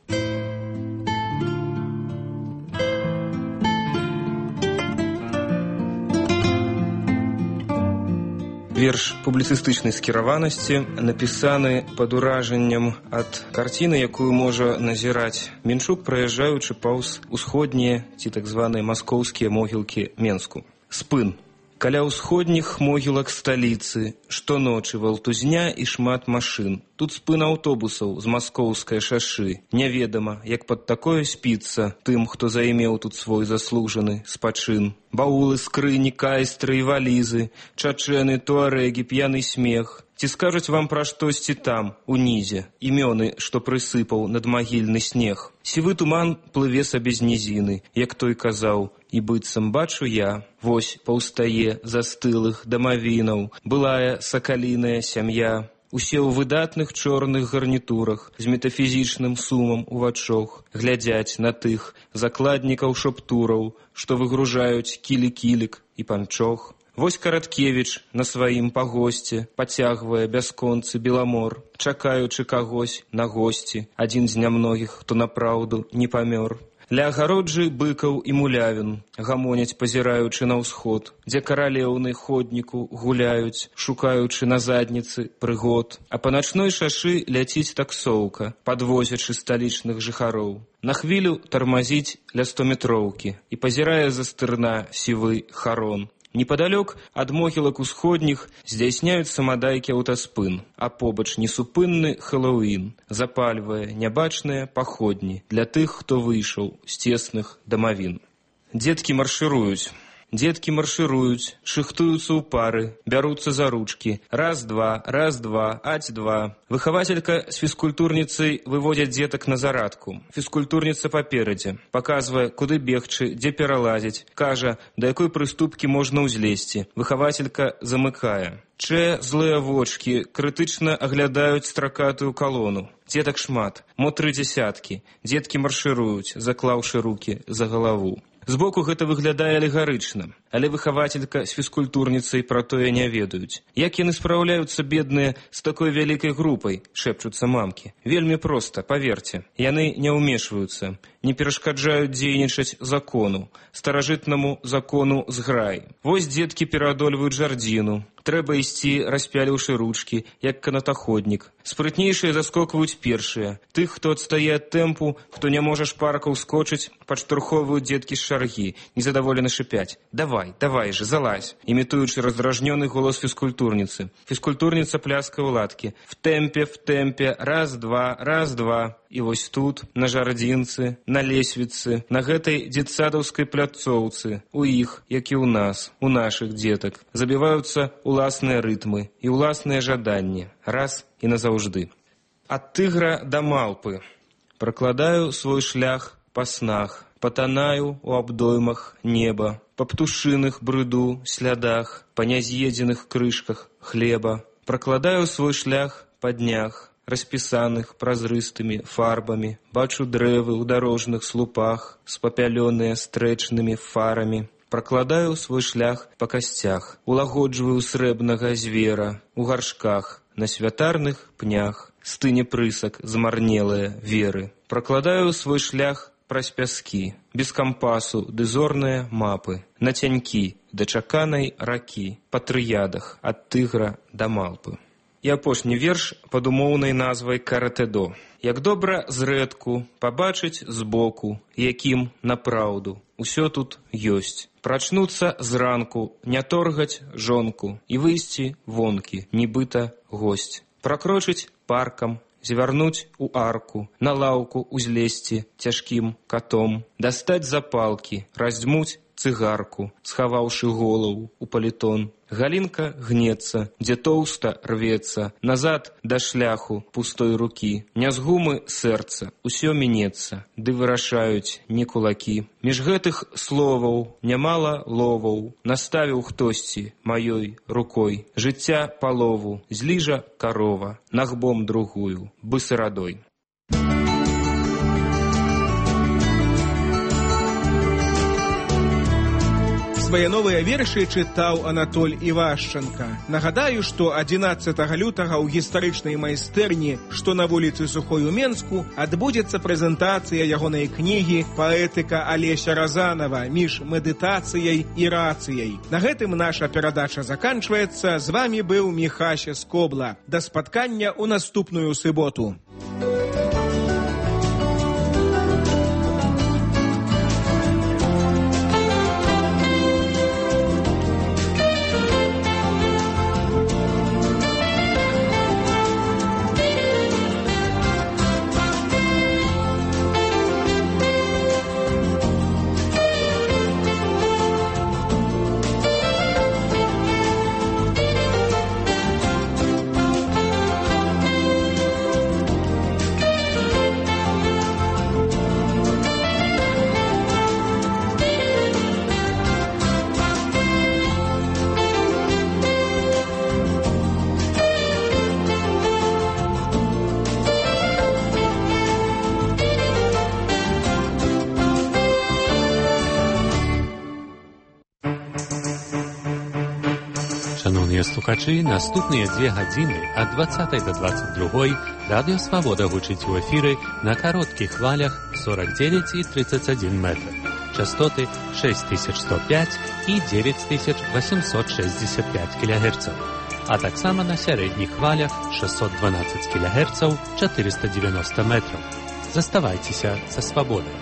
Верш публіцыстычнай скіраванасці напісаны пад уражаннем ад карціны, якую можа назіраць Мінчук, праязджаючы паўз усходнія ці так званыя маскоўскія могілкі Менску. Спын. Каля ўсходніх могілак сталіцы штоночы валтузня і шмат машын. Тут спын аўтобусаў з маскоўскай шашы. Няведама, як пад такое спіцца тым, хто займеў тут свой заслужаны спачын. Баулы, скрыні, кайстры і валізы, чачэны, туарэгі, п'яны смех. Ці скажуць вам пра штосьці там, унізе, імёны, што прысыпаў надмагільны снег. Сівы туман плыве сабе з нізіны, як той казаў, і быццам бачу я, вось паўстае застылых дамавінаў, былая сакаліная сям'я. Усе ў выдатных чорных гарнітурах, з метафізічным сумам у вачох, глядзяць на тых закладнікаў шаптураў, што выгружаюць кілі-кілік і панчох. Вось Караткевіч на сваім пагосце пацягвае бясконцы беламор, чакаючы кагось на госці, адзін з нямногіх, хто напраўду не памёр. Ля агароджы быкаў і мулявін гамоняць, пазіраючы на ўсход, дзе каралеўны ходніку гуляюць, шукаючы на задніцы прыгод. А па начной шашы ляціць таксоўка, падвозячы сталічных жыхароў. На хвілю тармазіць ля стометроўкі і пазірае за стырна сівы харон. Непадалёк ад могілак усходніх здзяйсняюць самадайкі аўтаспын, а побач несупынны Хэллоуін запальвае нябачныя паходні для тых, хто выйшаў з цесных дамавін. Дзеткі маршыруюць. Дзеткі маршыруюць, шыхтуюцца ў пары, бяруцца за ручкі. Раз-два, раз-два, аць-два. Выхавацелька з фізкультурніцай выводзяць дзетак на зарадку. Фізкультурніца паперадзе, паказвае, куды бегчы, дзе пералазіць, кажа, да якой прыступкі можна ўзлезці. Выхавацелька замыкае. Чэ злыя вочкі крытычна аглядаюць стракатую калону. Дзетак шмат, мо тры дзясяткі. Дзеткі маршыруюць, заклаўшы рукі за галаву. Збоку гэта выглядае алегарычна, але выхавацелька з фізкультурніцай пра тое не ведаюць. Як яны спраўляюцца, бедныя, з такой вялікай групай, шэпчуцца мамкі. Вельмі проста, паверце. Яны не ўмешваюцца, не перашкаджаюць дзейнічаць закону, старажытнаму закону зграй. Вось дзеткі пераадольваюць жардзіну. Трэба ісці, распяліўшы ручкі, як канатаходнік. Спрытнейшыя заскокваюць першыя. Тых, хто адстае ад тэмпу, хто не можа шпарка ўскочыць, падштурхоўваюць дзеткі з шаргі, незадаволена шыпяць. Давай, давай же, залазь, імітуючы раздражнёны голас фізкультурніцы. Фізкультурніца пляскае ў ладкі. В тэмпе, в тэмпе, раз-два, раз-два. І вось тут, на жардзінцы, на лесвіцы, на гэтай дзетсадаўскай пляцоўцы, у іх, як і ў нас, у нашых дзетак, забіваюцца уласныя рытмы і уласныя жаданні, раз і назаўжды. Ад тыгра да малпы. Пракладаю свой шлях па снах, патанаю у абдоймах неба, па птушыных брыду слядах, па няз'едзеных крышках хлеба. Пракладаю свой шлях па днях, распісаных празрыстымі фарбамі, бачу дрэвы ў дарожных слупах, спапялёныя стрэчнымі фарамі. Пракладаю свой шлях па касцях, улагоджваю срэбнага звера, у гаршках, на святарных пнях, стыне прысак змарнелыя веры. Пракладаю свой шлях праз пяскі, без кампасу ды зорныя мапы, на цянькі да чаканай ракі, па трыядах ад тыгра да малпы. І апошні верш пад умоўнай назвай «Каратэдо». Як добра зрэдку пабачыць збоку, якім напраўду усё тут ёсць. Прачнуцца зранку, не торгаць жонку і выйсці вонкі, нібыта госць. Пракрочыць паркам, звярнуць у арку, на лаўку узлезці цяжкім катом, дастаць запалкі, раздзьмуць цыгарку, схаваўшы голову у палітон. Галінка гнецца, дзе тоўста рвецца, назад да шляху пустой рукі. Не з гумы сэрца, усё мінецца, ды вырашаюць не кулакі. Між гэтых словаў нямала ловаў, наставіў хтосьці маёй рукой. Жыцця палову, зліжа карова, нагбом другую, бысырадой. Свае новыя вершы чытаў Анатоль Івашчанка. Нагадаю, што адзінаццатага лютага ў гістарычнай майстэрні, што на вуліцы Сухой у Менску, адбудзецца прэзентацыя ягонай кнігі «Паэтыка Алеся Разанова. Між медытацыяй і рацыяй». На гэтым наша перадача заканчваецца. З вамі быў Міхася Скобла. Да спаткання ў наступную суботу. Шановні слухачі, наступні дві години від двадцятої до двадцять другої Радіо Свобода гучить у ефірі на коротких хвалях сорок девять и тридцать один метр. Частоты шесть тысяч сто пять и девять тысяч восемьсот шестьдесят пять килогерцев. А так само на середніх хвалях шестьсот двенадцать килогерцев, четыреста девяносто метров. Заставайтеся со свободой.